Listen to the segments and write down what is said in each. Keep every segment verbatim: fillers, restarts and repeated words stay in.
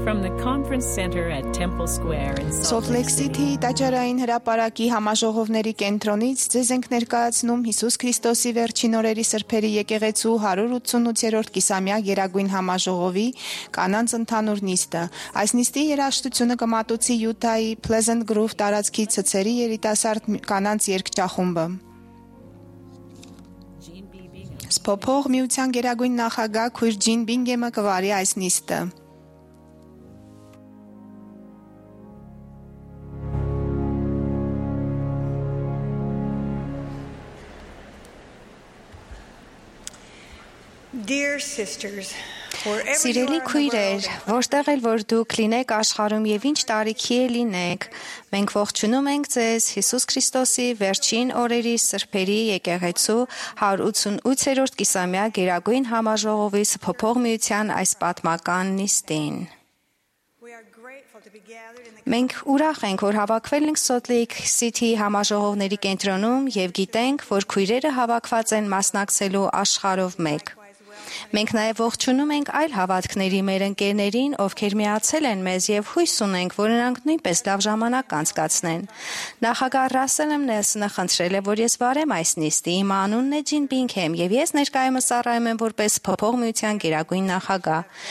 From the conference center at Temple Square in Salt Lake City տաճարային հրապարակի համաժողովների կենտրոնից ձեզ ենք ներկայացնում Հիսուս Քրիստոսի վերջին օրերի սրբերի եկեղեցու հարյուր ութսունութերորդ կիսամյա գերագույն համաժողովի կանանց ընդհանուր նիստը։ Այս նիստի երաժշտությունը կմատուցի Յուտայի Pleasant Grove տարածքի ցցերի երիտասարդ կանանց երգչախումբը։ Սփոփող միության գերագույն նախագահ քույր Ջին Բինգեմը կվարի այս նիստը։ Dear sisters, Սիրելի քույրեր, որտեղ էլ որ դուք լինեք աշխարհում եւ ինչ տարիքի է լինեք, մենք ողջունում ենք ձեզ Հիսուս Քրիստոսի վերջին օրերի սրբերի եկեղեցու հարյուր ութսունութերորդ կիսամյա գերագույն համաժողովի Սփոփող միության այս պատմական նիստին։ Մենք ուրախ ենք, որ հավաքվել ենք Salt Lake City համաժողովների կենտրոնում եւ գիտենք, որ քույրերը հավաքված են մասնակցելու աշխարհով մեկ։ Մենք նաև ողջունում ենք այլ հավատքների մեր ընկերներին, ովքեր միացել են մեզ եւ հույս ունենք, որ նրանք նույնպես լավ ժամանակ կանցկացնեն։ Նախագահ Ռասել Նելսոնը խնդրել է, որ ես վարեմ այս նիստը։ Իմ անունն է Ջին Բինգհեմ եւ ես ներկայումս ծառայում եմ որպես Փոփող միության գերագույն նախագահ։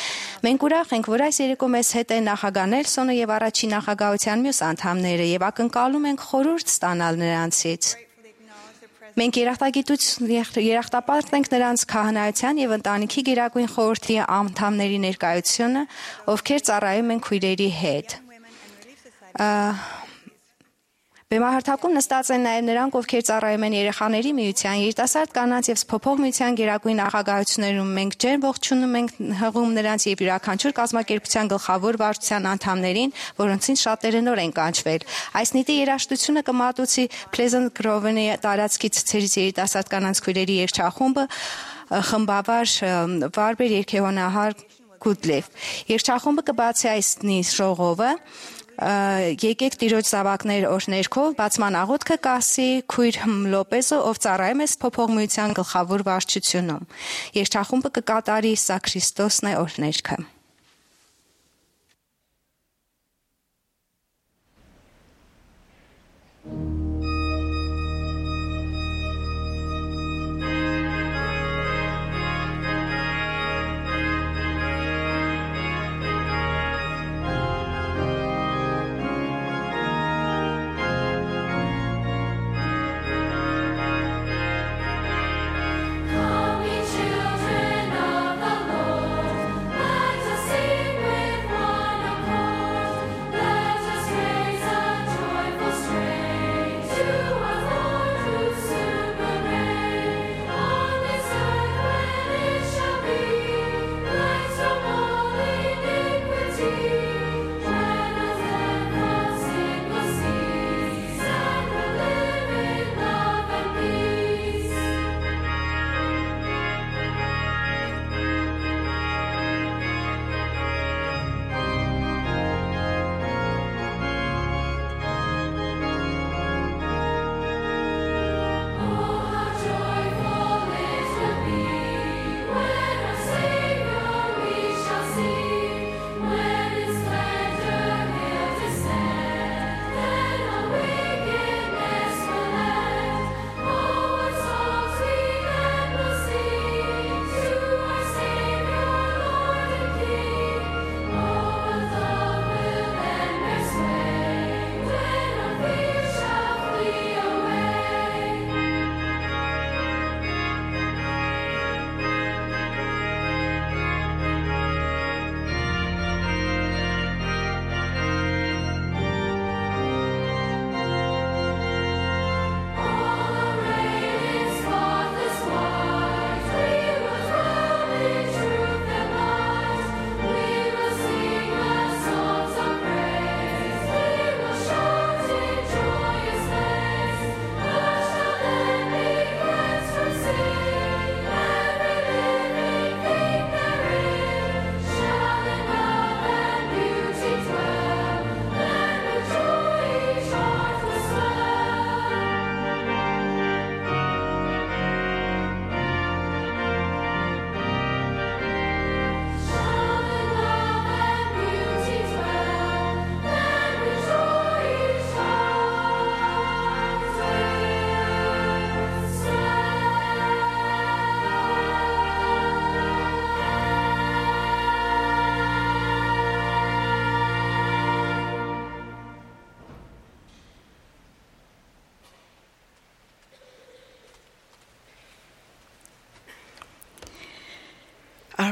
Մենք ուրախ ենք, որ այս երեկո մեզ հետ է նախագահ Նելսոնը եւ առաջին նախագահության մյուս անդամները եւ ակնկալում ենք խորհուրդ ստանալ նրանցից։ Մենք երախտապարտ ենք նրանց քահանայության եւ ընտանիքի գերագույն խորհրդի անդամների ներկայությունը, ովքեր ծառայում են քույրերի հետ։ Բեմահարթակում նստած են նաև նրանք, ովքեր ծառայում են երեխաների միության, երիտասարդ կանանց եւ Սփոփող միության գերագույն նախագահություններում։ Մենք ջերմ ողջունում ենք հղում նրանց եւ յուրաքանչյուր կազմակերպության գլխավոր վարչության անդամներին, որոնցից շատերը նոր են կանչվել։ Այս նիստի երաժշտությունը կմատուցի Pleasant Grove-ի տարածքի ցցերից երիտասարդ կանանց քույրերի երգչախումբը, խմբավար վարպետ երգեհոնահար Գուդլեվ։ Երգչախումբը կբացի այս նիստ ժողովը Եկեք տիրոջ զավակներ օրհներքով բացման աղոթքը կասի քույր Լոպեզը, ով ծառայում է Սփոփող միության գլխավոր վարչությունում։ Երգչախումբը կկատարի Սա Քրիստոսն է օրհներքը։ Children of the Lord, let us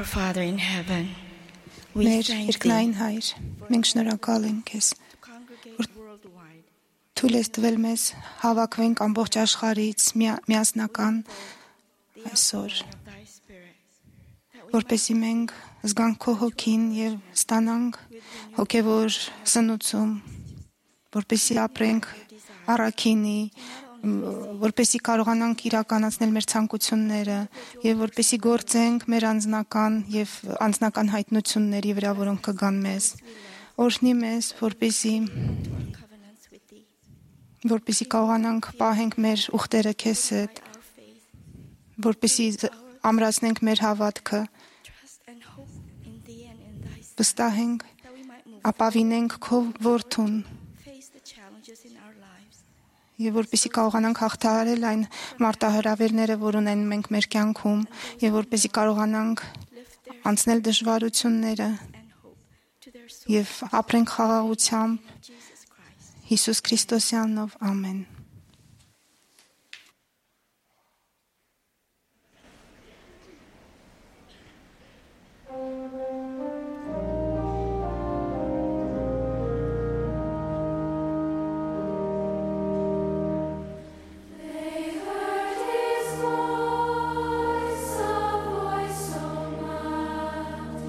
Our Father in heaven, we Մեր thank երկնային thee Հայր, մենք շնորհակալ ենք քեզ, to congregate worldwide. թույլ ես տվել մեզ հավաքվենք ամբողջ աշխարհից միա- միասնական այսօր, Of thy Spirit, that we որպեսզի մենք զգանք քո հոգին եւ ստանանք հոգեվոր սնուցում, որպեսզի ապրենք առաքինի, մ, որպեսզի կարողանանք իրականացնել մեր ցանկությունները եւ որպեսզի գործենք մեր անձնական եւ անձնական հայտնությունների վրա, որոնք կգան մեզ։ Օրհնի մեզ, որպեսզի covenants with thee. որպեսզի կարողանանք պահենք մեր ուխտերը քեզ հետ, Our faith, որպեսզի զ- ամրացնենք մեր հավատքը, trust and hope in thee and in thy Son, վստահենք, that we might move ապավինենք քո որդուն face the challenges in our lives. եւ որպեսզի կարողանանք հաղթահարել այն մարտահրավերները, որ ունեն մենք մեր կյանքում եւ որպեսզի կարողանանք Lift their անցնել դժվարությունները and hope to their soul, եւ ապրենք խաղաղությամբ Jesus Christ. Հիսուս Քրիստոսի անունով ամեն։ They heard his voice, a voice so mild,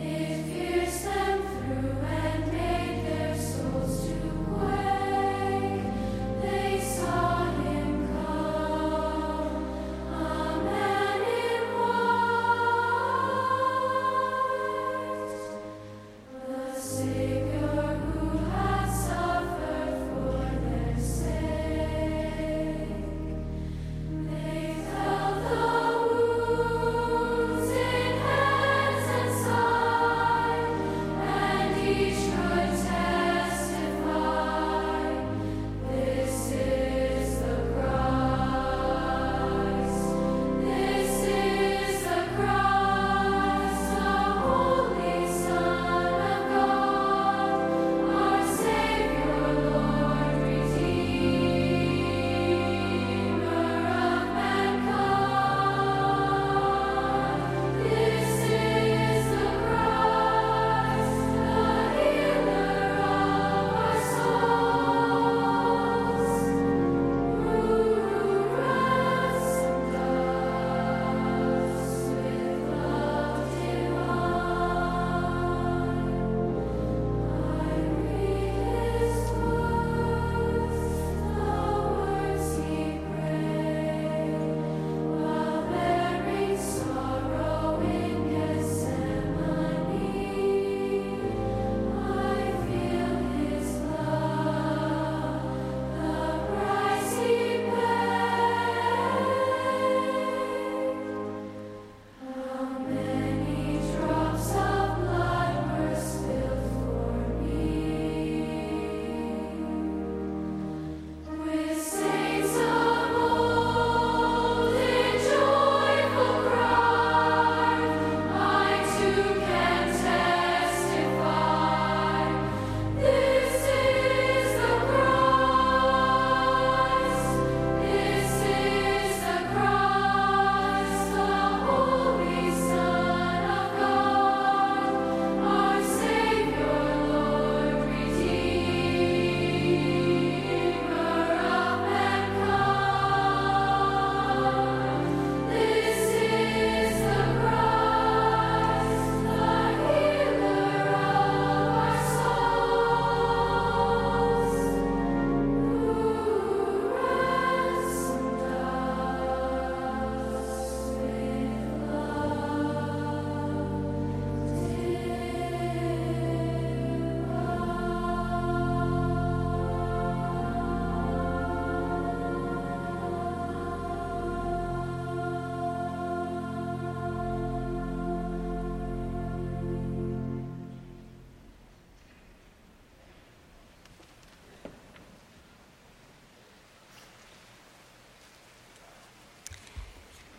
it pierced them through and made their souls to quake. They saw him come, a man in white, the Savior who had suffered for their sake. They felt the wounds in hands and side, and each could testify, this is the Christ, this is the Christ, the Holy Son of God, our Savior, Lord, Redeemer of mankind. This is the Christ, the healer of our souls, who ransomed us with love divine. I read his words, the words he prayed, while bearing sorrow in Gethsemane. I feel his love, the price he paid. How many drops of blood were spilled for me? With saints of old in joyful cry, I too can testify, this is the Christ, this is the Christ, the Holy Son of God, our Savior, Lord, Redeemer of mankind. This is the Christ, the healer of our souls, who ransomed us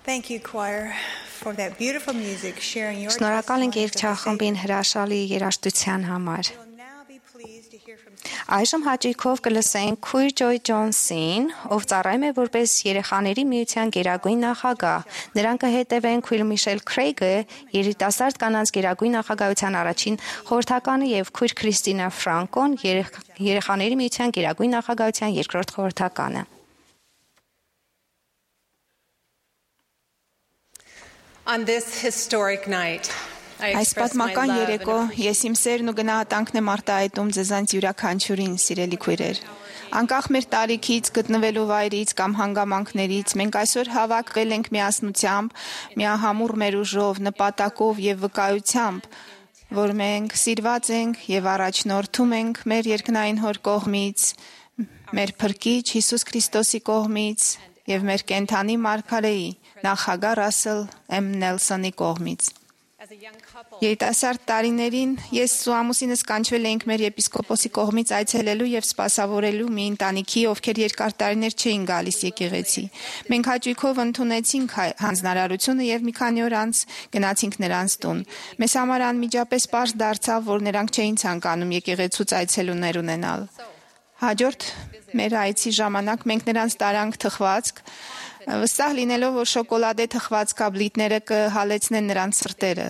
Thank you, choir, for that beautiful music, sharing your Շնորհակալ ենք testimonies of the երգչախմբին Savior. հրաշալի երաժշտության համար։ We'll now be pleased to hear from Այժմ հաճույքով կլսենք Քույր Ջոյ Ջոնսին, ով ծառայում է որպես երեխաների միության գերագույն նախագահ։ Նրան կհետևեն Քույր Միշել Քրեյգը, երիտասարդ կանանց գերագույն նախագահության առաջին խորհրդականը եւ Քույր Քրիստինա Ֆրանկոն, երեխաների միության գերագույն նախագահության երկրորդ խորհրդականը։ On this historic night, I Այս express my պատմական love երեկո and appreciation ես իմ սերն ու գնահատանքն եմ արտահայտում ձեզանց յուրաքանչյուրին, սիրելի քույրեր։ Անկախ մեր տարիքից, գտնվելու վայրից կամ հանգամանքներից, մենք այսօր հավաքվել ենք միասնությամբ, միահամուռ մեր ուժով, նպատակով եւ վկայությամբ, որ մենք սիրված ենք եւ առաջնորդում ենք մեր երկնային Հոր կողմից, մեր Փրկիչ Հիսուս Քրիստոսի կողմից եւ մեր կենթանի Մարգարեի նախագահ Ռասել Էմ Նելսոնի կողմից։ as a young couple. Երիտասարդ տարիներին ես ու ամուսինս կանչվել էինք մեր եպիսկոպոսի կողմից այցելելու եւ սպասավորելու մի ընտանիքի, ովքեր երկար տարիներ չէին գալիս եկեղեցի։ Մենք հաճույքով ընդունեցինք հանձնարարությունը եւ մի քանի օր անց գնացինք նրանց տուն։ Մեզ համար անմիջապես պարզ դարձավ, որ նրանք չէին ցանկանում եկեղեցուց այցելուներ ունենալ։ Հաջորդ մեր այցի ժամանակ մենք նրանց տարանք թխվածք, վստահ լինելով, որ շոկոլադե թխված կաբլիտները կհալեցնեն նրանց սրտերը։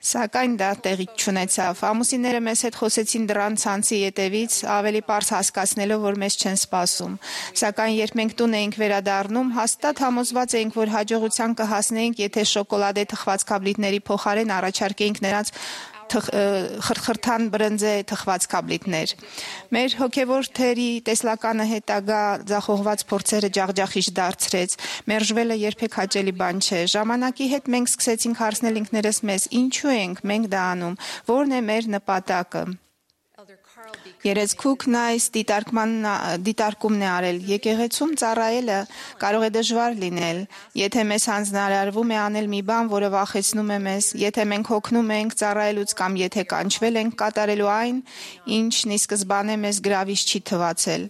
Սակայն դա տեղի չունեցավ։ Ամուսինները մեզ հետ խոսեցին դռան ցանցի ետևից, ավելի պարզ հասկացնելով, որ մեզ չեն սպասում։ Սակայն երբ մենք տուն էինք վերադառնում, հաստատ համոզված էինք, որ հաջողության կհասնեինք, եթե շոկոլադե թխված կաբլիտների փոխարեն առաջարկեինք նրանց խրթխրթան բրնձե թխված կաբլիտներ։ Մեր հոգևոր թերի տեսլականը հետագա ձախողված փորձերը ջախջախիչ դարձրեց։ Մերժվելը երբեք հաճելի բան չէ։ Ժամանակի հետ մենք սկսեցինք հարցնել ինքներս մեզ. ինչու ենք մենք դա անում, որն է մեր նպատակը։ Երեցքուկն այս դիտարկումն է արել. եկեղեցում ծառայելը կարող է դժվար լինել, եթե մեզ հանձնարարվում է անել մի բան, որը վախեցնում է մեզ, եթե մենք հոգնում ենք ծառայելուց կամ եթե կանչվել ենք կատարելու այն, ինչն ի սկզբանե մեզ գրավիչ չի թվացել։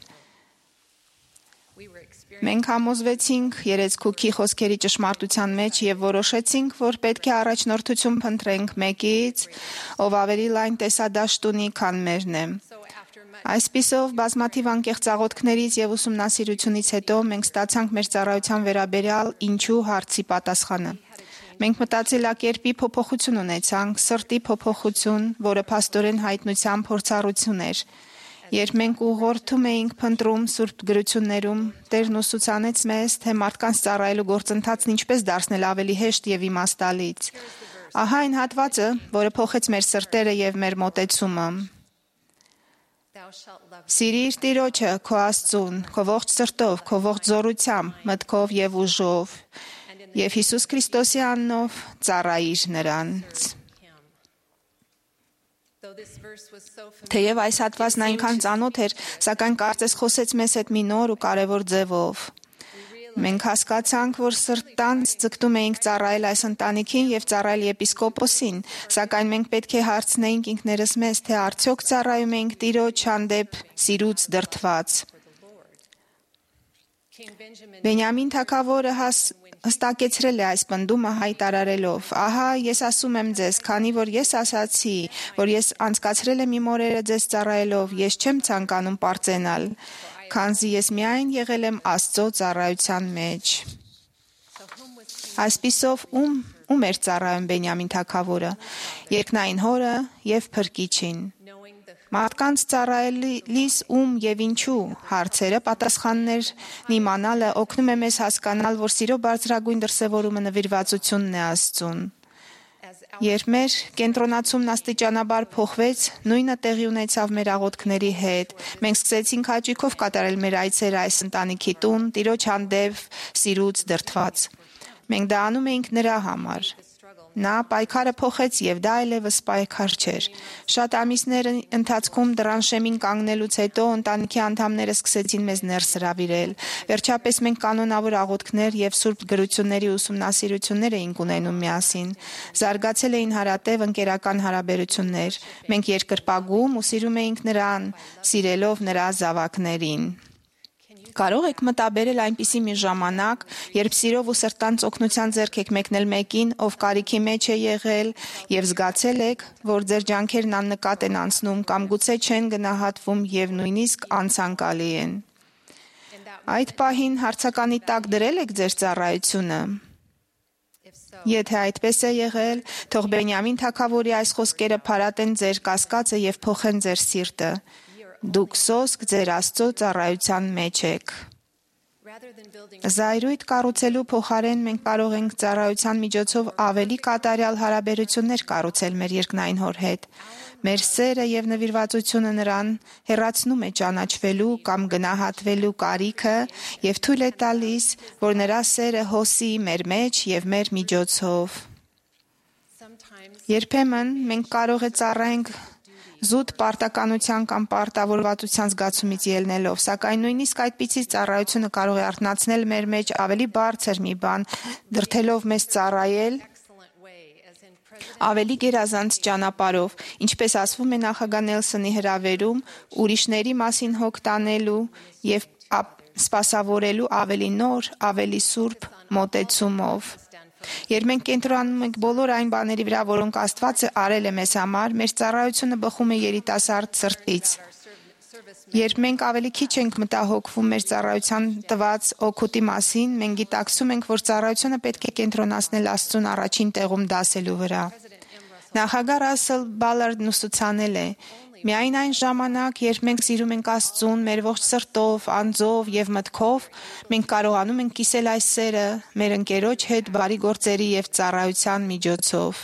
Մենք համոզվեցինք Երեցքուկի խոսքերի ճշմարտության մեջ եւ որոշեցինք, որ պետք է առաջնորդություն փնտրենք մեկից, ով ավելի լայն տեսադաշտ ունի, քան մերն է։ Այսպիսով, բազմաթիվ անկեղծ աղոթքներից եւ ուսումնասիրությունից հետո մենք ստացանք մեր ծառայության վերաբերյալ ինչու հարցի պատասխանը։ Մենք մտածելակերպի փոփոխություն ունեցանք, սրտի փոփոխություն, որը փաստորեն հայտնության փորձառություն էր։ Երբ մենք ուղղորդում էինք փնտրում Սուրբ գրություններում, Տերն ուսուցանեց մեզ, թե մարդկանց ծառայելու գործընթացն ինչպես դարձնել ավելի հեշտ եւ իմաստալից։ Ահա այն հատվածը, որը փոխեց մեր սրտերը եւ մեր մոտեցումը։ Սիրիր Տիրոջը, քո Աստծուն, քո ողջ սրտով, քո ողջ զորությամբ, մտքով եւ ուժով, եւ Հիսուս Քրիստոսի անունով ծառայիր նրանց։ Թեև այս հատվածն այնքան ծանոթ էր, սակայն կարծես խոսեց մեզ հետ մի նոր ու կարևոր ձևով։ Մենք հասկացանք, որ սրտանց ձգտում էինք ծառայել այս ընտանիքին եւ ծառայել եպիսկոպոսին, սակայն մենք պետք է հարցնեինք ինքներս մեզ, թե արդյոք ծառայում ենք Տիրոջ հանդեպ սիրուց դրդված։ Բենյամին թագավորը հստակեցրել է այս պնդումը հայտարարելով. «Ահա ես ասում եմ ձեզ, քանի որ ես ասացի, որ ես անցկացրել եմ իմ օրերը ձեզ ծառայելով, ես չեմ ցանկանում պարծենալ, քանզի ես միայն եղել եմ Աստծո ծառայության մեջ»։ Այսպիսով ում ում էր ծառայում Բենյամին թագավորը, երկնային Հորը եւ Փրկիչին։ Մարդկանց ծառայելիս ում եւ ինչու հարցերը պատասխաններն իմանալը օգնում է մեզ հասկանալ, որ սիրո բարձրագույն դրսևորումը նվիրվածությունն է Աստծուն։ Երբ մեր կենտրոնացումն աստիճանաբար փոխվեց, նույնը տեղի ունեցավ մեր աղոթքների հետ։ Մենք սկսեցինք հաճույքով կատարել մեր այցերը այս ընտանիքի տուն, Տիրոջ հանդեպ սիրուց դրդված։ Մենք դա անում էինք նրա համար։ Նա պայքարը փոխեց եւ դա այլևս պայքար չէր։ Շատ ամիսներ ընթացքում դռան շեմին կանգնելուց հետո ընտանիքի անդամները սկսեցին մեզ ներս հրավիրել։ Վերջապես մենք կանոնավոր աղոթքներ եւ սուրբ գրությունների ուսումնասիրություններ էինք ունենում միասին։ Զարգացել էին հարատև ընկերական հարաբերություններ։ Մենք երկրպագում ու սիրում էինք նրան, սիրելով նրա զավակներին։ Կարող եք մտաբերել այնպիսի մի ժամանակ, երբ սիրով ու սրտանց օգնության ձեռք եք մեկնել մեկին, ով կարիքի մեջ է եղել, եւ զգացել եք, որ ձեր ջանքերն աննկատ են անցնում կամ գուցե չեն գնահատվում եւ նույնիսկ անցանկալի են։ Այդ պահին հարցականի տակ դրել եք ձեր ծառայությունը։ Եթե այդպես է եղել, թող Բենյամին թագավորի այս խոսքերը փարատեն ձեր կասկածը եւ փոխեն ձեր սիրտը։ Դուք սոսկ ձեր Աստծո ծառայության մեջ եք։ Զայրույթ կառուցելու փոխարեն մենք կարող ենք ծառայության միջոցով ավելի կատարյալ հարաբերություններ կառուցել մեր երկնային Հոր հետ։ Մեր սերը եւ նվիրվածությունը նրան հեռացնում է ճանաչվելու կամ գնահատվելու կարիքը եւ թույլ է տալիս, որ նրա սերը հոսի մեր մեջ եւ մեր միջոցով։ Երբեմն մենք կարող է ծառայենք զուտ պարտականության կամ պարտավորվածության զգացումից ելնելով, սակայն նույնիսկ այդպիսի ծառայությունը կարող է արթնացնել մեր մեջ ավելի բարձր մի բան, դրդելով մեզ ծառայել ավելի գերազանց ճանապարհով, ինչպես ասվում է նախագահ Նելսոնի հրավերում, ուրիշների մասին հոգ տանելու եւ սպասավորելու ավելի նոր, ավելի սուրբ մոտեցումով։ Երբ մենք կենտրոնանում ենք բոլոր այն բաների վրա, որոնք Աստված արել է մեզ համար, մեր ծառայությունը բխում է երիտասարդ սրտից։ Երբ մենք ավելի քիչ ենք մտահոգվում մեր ծառայության տված օգուտի մասին, մենք գիտակցում ենք, որ ծառայությունը պետք է կենտրոնացնել Աստծուն առաջին տեղում դասելու վրա։ Նախագահ Ռասել Բալարդն ուսուցանել է. միայն այն ժամանակ, երբ մենք սիրում ենք Աստծուն մեր ողջ սրտով, անձով եւ մտքով, մենք կարողանում ենք կիսել այս սերը մեր ընկերոջ հետ բարի գործերի եւ ծառայության միջոցով։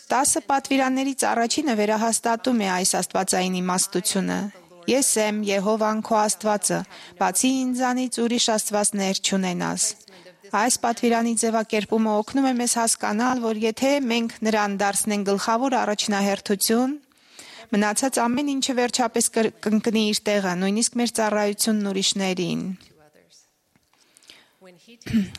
Տասը պատվիրաններից առաջինը վերահաստատում է այս աստվածային իմաստությունը։ Ես եմ Եհովան քո Աստվածը, բացի ինձանից ուրիշ աստվածներ չունենաս։ Այս պատվիրանի ձևակերպումը օգնում է մեզ հասկանալ, որ եթե մենք նրան դարձնենք գլխավոր առաջնահերթություն, մնացած ամեն ինչը վերջապես կընկնի իր տեղը, նույնիսկ մեր ծառայությունն ուրիշներին։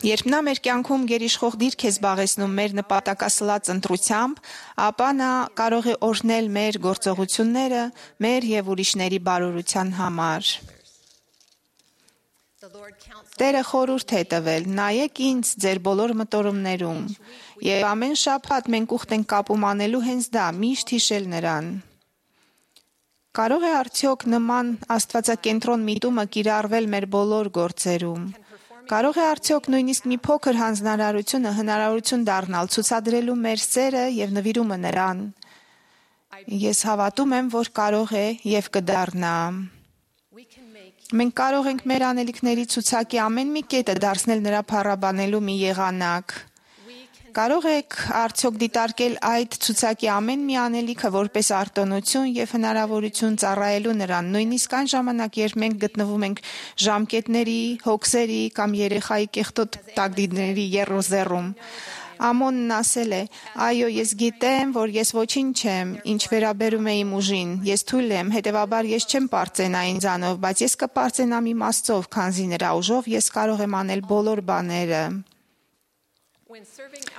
Երբ նա մեր կյանքում գերիշխող դիրք է զբաղեցնում մեր նպատակասլաց ընտրությամբ, ապա նա կարող է օրհնել մեր գործողությունները մեր եւ ուրիշների բարօրության համար։ Տերը խորհուրդ է տվել. նայեք ինձ ձեր բոլոր մտորումներում, եւ ամեն շաբաթ մենք ուխտ ենք կապում անելու հենց դա, միշտ հիշել նրան։ Կարող է արդյոք նման աստվածակենտրոն միտումը կիրառվել մեր բոլոր գործերում։ Կարող է արդյոք նույնիսկ մի փոքր հանձնարարությունը հնարավորություն դառնալ ցուցադրելու մեր սերը եւ նվիրումը նրան։ Ես հավատում եմ, որ կարող է եւ կդառնա։ Մենք կարող ենք մեր անելիքների ցուցակի ամեն մի կետը դարձնել նրա փառաբանելու մի եղանակ։ Կարող եք արդյոք դիտարկել այդ ցուցակի ամեն մի անելիքը որպես արտոնություն եւ հնարավորություն ծառայելու նրան, նույնիսկ այն ժամանակ, երբ մենք գտնվում ենք ժամկետների, հոգսերի կամ երեխայի կեղտոտ տակդիրների եռոզեռում։ Ամոնն ասել է. այո, ես գիտեմ, որ ես ոչինչ չեմ, ինչ վերաբերում է իմ ուժին, ես թույլ եմ, հետևաբար ես չեմ պարծենա ինձանով, բայց ես կպարծենամ իմ Աստծով, քանզի նրա ուժով ես կարող եմ անել բոլոր բաները։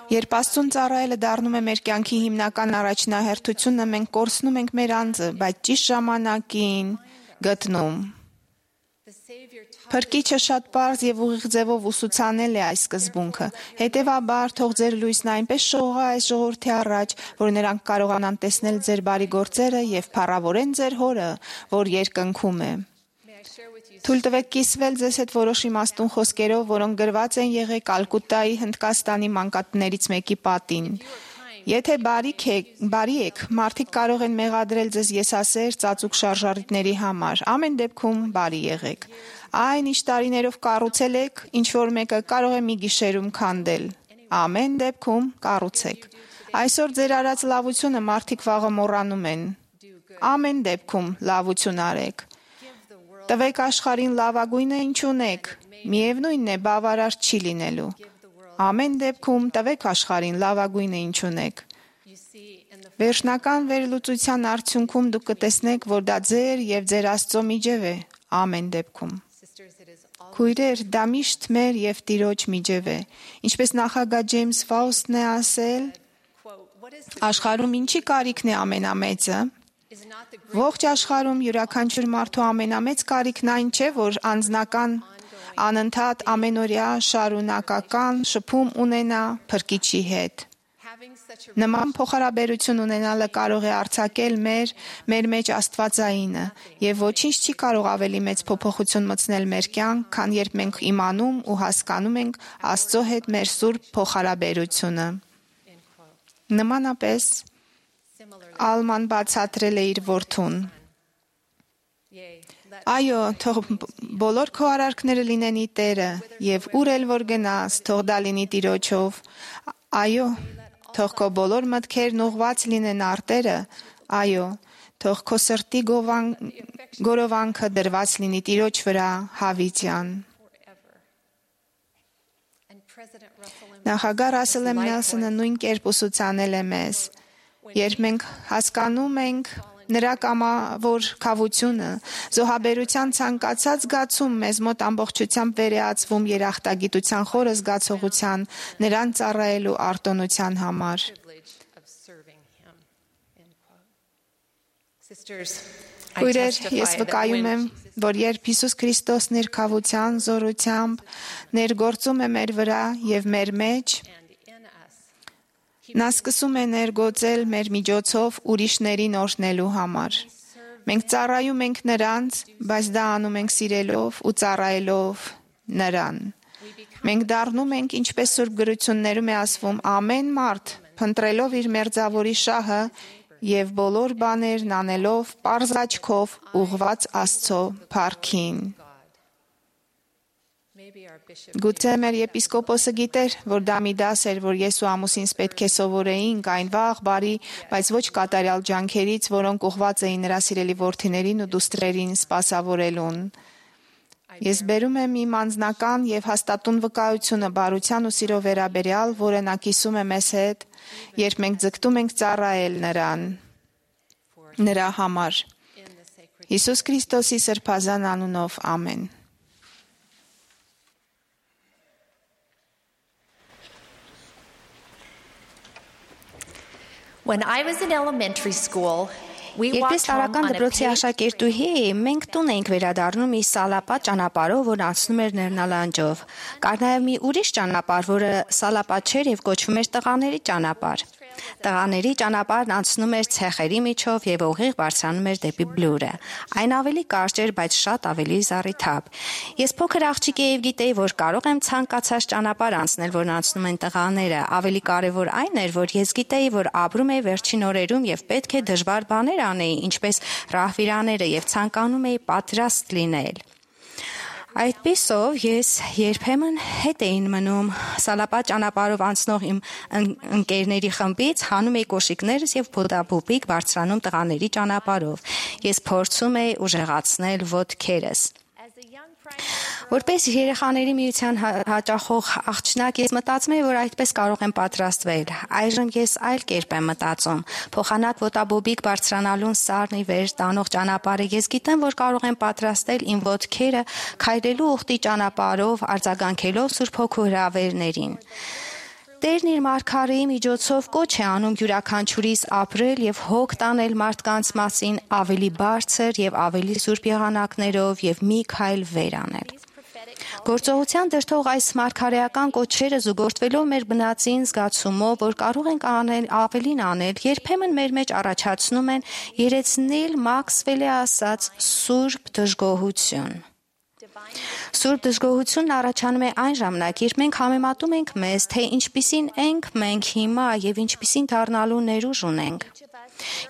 Երբ Աստծուն ծառայելը դառնում է մեր կյանքի հիմնական առաջնահերթությունը, մենք կորցնում ենք մեր անձը, բայց ճիշտ ժամանակին գտնում։ Փրկիչը շատ պարզ եւ ուղիղ ձևով ուսուցանել է այս սկզբունքը։ Հետևաբար, թող ձեր լույսն այնպես շողա այս ժողովրդի առաջ, որ նրանք կարողանան տեսնել ձեր բարի գործերը եւ փառավորեն ձեր Հորը, որ երկնքում է։ Թույլ տվեք կիսվել ձեզ հետ որոշ իմաստուն խոսքերով, որոնք գրված են եղել Կալկուտայի Հնդկաստանի մանկատներից մեկի պատին։ Եթե բարիք եք, բարի եք, մարդիկ կարող են մեղադրել ձեզ եսասեր ծածուկ շարժառիթների համար։ Ամեն դեպքում բարի եղեք։ Այն ինչ տարիներով կառուցել եք, ինչ որ մեկը կարող է մի գիշերում քանդել։ Ամեն դեպքում կառուցեք։ Այսօր ձեր արած լավությունը մարդիկ վաղը մոռանում են։ Ամեն դեպքում լավություն արեք։ Տվեք աշխարհին լավագույնը ինչ ունեք, միևնույնն է բավարար չի լինելու։ Ամեն դեպքում տվեք աշխարհին լավագույնը ինչ ունեք։ Վերջնական վերլուծության արդյունքում դուք կտեսնեք, որ դա ձեր եւ ձեր Աստծո միջև է։ Ամեն դեպքում։ Քույրեր, դա միշտ մեր եւ Տիրոջ միջև է։ Ինչպես նախագահ Ջեյմս Ֆաուստն է ասել, աշխարհում ինչի կարիքն է ամենամեծը։ Ողջ աշխարհում յուրաքանչյուր մարդու ամենամեծ կարիքն այն չէ, որ անձնական, անընդհատ, ամենօրյա, շարունակական շփում ունենա Փրկիչի հետ։ Նման փոխհարաբերություն ունենալը կարող է արձակել մեր մեր մեջ Աստվածայինը, եւ ոչինչ չի կարող ավելի մեծ փոփոխություն մտցնել մեր կյանք, քան երբ մենք իմանում ու հասկանում ենք Աստծո հետ մեր սուրբ փոխհարաբերությունը։ Նմանապես Ալման բացատրել է իր որդուն. Այո, թող բոլոր քո արարքները լինեն ի Տերը, եւ ուր էլ որ գնաս, թող դա լինի Տիրոջով։ Այո, թող քո բոլոր մտքերն ուղված լինեն արտերը, այո, թող քո սրտի գովան, գորովանքը դրված լինի Տիրոջ վրա հավիտյան։ Նախագահ Ռասել Էմ Նելսոնը նույն կերպ ուսուցանել է մեզ. երբ մենք հասկանում ենք նրա կամավոր քավությունը, զոհաբերության ցանկացած զգացում մեզ մոտ ամբողջությամբ վերեացվում երախտագիտության խորը զգացողության, նրան ծառայելու արտոնության համար։ Քույրեր, ես վկայում եմ, որ երբ Հիսուս Քրիստոսն իր քավության, զորությամբ ներգործում է մեր վրա եւ մեր մեջ, նա սկսում է ներգործել մեր միջոցով ուրիշներին օրհնելու համար։ Մենք ծառայում ենք նրանց, բայց դա անում ենք սիրելով ու ծառայելով նրան։ Մենք դառնում ենք, ինչպես Սուրբ գրություններում է ասվում, ամեն մարդ, փնտրելով իր մերձավորի շահը եւ բոլոր բաներն անելով պարզ աչքով ուղված Աստծո փառքին։ Գուցե մեր եպիսկոպոսը գիտեր, որ դա մի դաս էր, որ ես ու ամուսինս պետք է սովորեինք այն վաղ, բարի, բայց ոչ կատարյալ ջանքերից, որոնք ուղված էին նրա սիրելի որդիներին ու դուստրերին սպասավորելուն։ Ես բերում եմ իմ անձնական եւ հաստատուն վկայությունը բարության ու սիրո վերաբերյալ, որը նա կիսում է մեզ հետ, երբ մենք ձգտում ենք ծառայել նրան, նրա համար։ Հիսուս Քրիստոսի սրբազան անունով, ամեն։ When I was in elementary school, we Երբ ես walked home տարական on a դպրոցի paved աշակերտուհի էի, մենք տուն էինք վերադառնում մի սալապատ ճանապարհով, որ անցնում էր Ներնալանջով։ Կար նաև մի ուրիշ ճանապարհ, որը սալապատ չէր եւ կոչվում էր Տղաների ճանապարհ։ Տղաների ճանապարհն անցնում էր ցեխերի միջով եւ ուղիղ բարձրանում էր դեպի Բլուրը։ Այն ավելի կարճ էր, բայց շատ ավելի զառիթափ։ Ես փոքր աղջիկ էի եւ գիտեի, որ կարող եմ ցանկացած ճանապարհ անցնել, որն անցնում են տղաները։ Ավելի կարեւոր այն էր, որ ես գիտեի, որ ապրում էի վերջին օրերում եւ պետք է դժվար բաներ անեի, ինչպես ռահվիրաները, եւ ցանկանում էի պատրաստ լինել։ Այդպիսով ես երբեմն հետ էին մնում սալապատ ճանապարհով անցնող իմ ընկերների խմբից, հանում էի կոշիկներս եւ փոդապուպիկ բարձրանում տղաների ճանապարհով։ Ես փորձում էի ուժեղացնել ոտքերս։ Որպես երեխաների միության հաճախող աղջնակ ես մտածում եմ, որ այդպես կարող եմ պատրաստվել։ Այժմ ես այլ կերպ եմ մտածում։ Փոխանակ ոտաբոբիկ բարձրանալուն սառնի վեր տանող ճանապարհը ես գիտեմ, որ կարող եմ պատրաստել իմ ոտքերը քայլելու ուխտի ճանապարհով, արձագանքելով Սուրբ Հոգու հրավերներին։ Տերն իր մարգարեի միջոցով կոչ է անում յուրաքանչյուրիս ապրել եւ հոգ տանել մարդկանց մասին ավելի բարձր եւ ավելի սուրբ եղանակներով եւ մի քայլ վեր անել։ Գործողության դրդող այս մարգարեական կոչերը զուգորդվելով մեր բնածին զգացումով, որ կարող ենք անել ավելին անել, երբեմն մեր մեջ առաջացնում են երեցնել Մաքսվելի ասած սուրբ դժգոհություն։ Սուրբ դժգոհությունն առաջանում է այն ժամանակ, երբ մենք համեմատում ենք մեզ, թե ինչպիսին ենք մենք հիմա եւ ինչպիսին դառնալու ներուժ ունենք։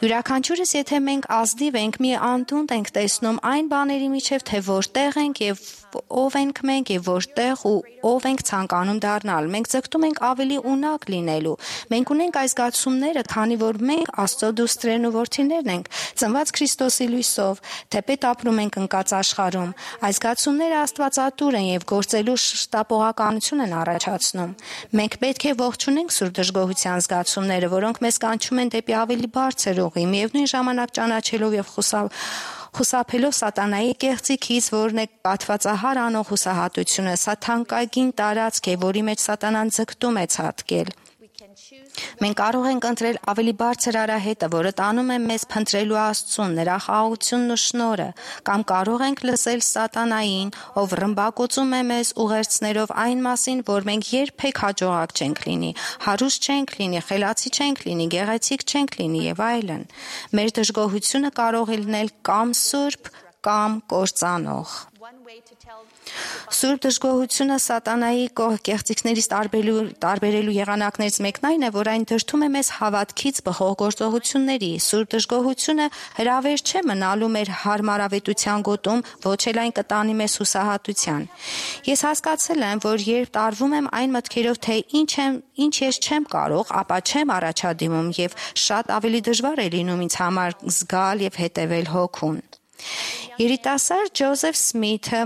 Յուրաքանչյուրս, եթե մենք ազնիվ ենք, մի անդունդ ենք տեսնում այն բաների միջև, թե որտեղ ենք եւ ով ենք մենք եւ որտեղ ու ով ենք ցանկանում դառնալ։ Մենք ձգտում ենք ավելի ունակ լինելու։ Մենք ունենք այս զգացումները, քանի որ մենք Աստծո դուստրերն ու որդիներն ենք, ծնված Քրիստոսի լույսով, թեպետ ապրում ենք ընկած աշխարհում։ Այս զգացումները աստվածատուր են եւ գործելու շտապողականություն են առաջացնում։ Մենք պետք է ողջունենք սուրբ դժգոհության զգացումները, որոնք մեզ կանչում են դեպի ավելի բարձր ուղի, միևնույն ժամանակ ճանաչելով եւ խուսափ խուսափելով սատանայի կեղծիքից, որն է պատվածահար անող հուսահատությունը, սա թանկագին տարածք է, որի մեջ սատանան ձգտում է ցատկել։ Մենք կարող ենք ընտրել ավելի բարձր արահետը, որը տանում է մեզ փնտրելու Աստծուն, նրա խաղաղությունն ու շնորհը, կամ կարող ենք լսել սատանային, ով ռմբակոծում է մեզ ուղերձներով այն մասին, որ մենք երբեք հաջողակ չենք լինի, հարուստ չենք լինի, խելացի չենք լինի, գեղեցիկ չենք լինի եւ այլն։ Մեր դժգոհությունը կարող է լինել կամ սուրբ, կամ կործանող։ Սուրբ դժգոհությունը սատանայի կեղծիքներից տարբերելու, տարբերելու եղանակներից մեկն այն է, որ այն դրդում է մեզ հավատքից բխող գործողությունների։ Սուրբ դժգոհությունը հրավեր չէ մնալու մեր հարմարավետության գոտում, ոչ էլ այն կտանի մեզ հուսահատության։ Ես հասկացել եմ, որ երբ տարվում եմ այն մտքերով, թե ինչ եմ, ինչ ես չեմ կարող, ապա չեմ առաջադիմում եւ շատ ավելի դժվար է լինում ինձ համար զգալ եւ հետեւել հոգուն։ Երիտասարդ Ջոզեֆ Սմիթը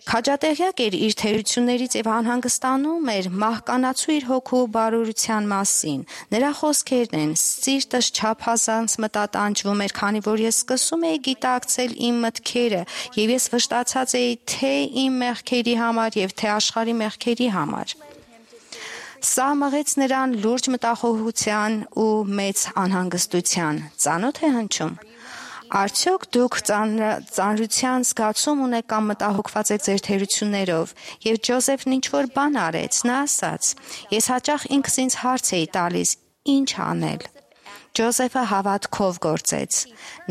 քաջատեղյակ էր իր թերություններից եւ անհանգստանում էր մահկանացու իր հոգու բարօրության մասին։ Նրա խոսքերն են. «Սիրտս չափազանց մտատանջվում էր, քանի որ ես սկսում էի գիտակցել իմ մտքերը եւ ես վշտացած էի թե իմ մեղքերի համար եւ թե աշխարհի մեղքերի համար»։ Սա մղեց նրան լուրջ մտախոհության ու մեծ անհանգստության։ Ծանոթ է հնչում։ Արդյոք դուք ծանրության զգացում ունեք կամ մտահոգված եք ձեր թերություններով, եւ Ջոզեֆն ինչ-որ բան արեց, նա ասաց. «Ես հաճախ ինքս ինձ հարց էի տալիս. ինչ անել»։ Ջոզեֆը հավատքով գործեց։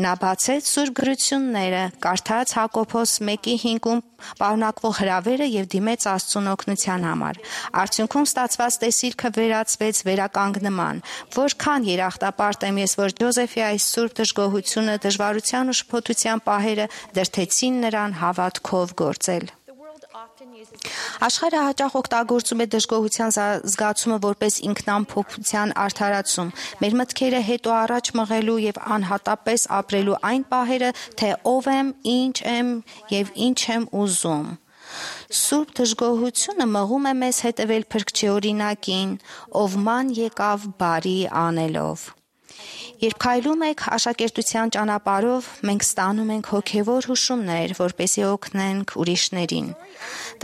Նա բացեց Սուրբ գրությունները, կարդաց Հակոբոս մեկի հինգում պարունակվող հրավերը եւ դիմեց Աստծուն օգնության համար։ Արդյունքում ստացված տեսիլքը վերածվեց վերականգնման։ Որքան երախտապարտ եմ ես, որ Ջոզեֆի այս սուրբ դժգոհությունը, դժվարության ու շփոթության պահերը դրդեցին նրան հավատքով գործել։ Աշխարհը հաճախ օգտագործում է դժգոհության զգացումը որպես ինքնամփոփության արդարացում, մեր մտքերը հետո առաջ մղելու եւ անհատապես ապրելու այն պահերը, թե ով եմ, ինչ եմ եւ ինչ եմ ուզում։ Սուրբ դժգոհությունը մղում է մեզ հետևել Փրկչի օրինակին, ով ման եկավ բարի անելով։ Երբ քայլում եք աշակերտության ճանապարհով, մենք ստանում ենք հոգևոր հուշումներ, որպեսզի օգնենք ուրիշներին։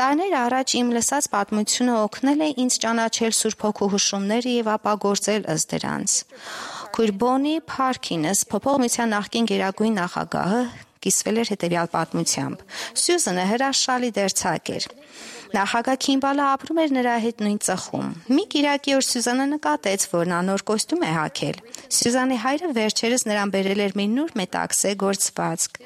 Տարիներ առաջ իմ լսած պատմությունը օգնել է ինձ ճանաչել Սուրբ Հոգու հուշումները եւ ապագործել ըստ դրանց։ Քույր Բոնի Փարքինս, փոփոխության նախկին գերագույն նախագահը, կիսվել էր հետևյալ պատմությամբ։ Սյուզանը հրաշալի դերձակ էր։ Նախագահ Քիմբալը ապրում էր նրա հետ նույն ծխում։ Մի կիրակի օր Սյուզանը նկատեց, որ նա նոր կոստյում է հագել։ Սյուզանի հայրը վերջերս նրան բերել էր մի նոր մետաքսե գործվածք։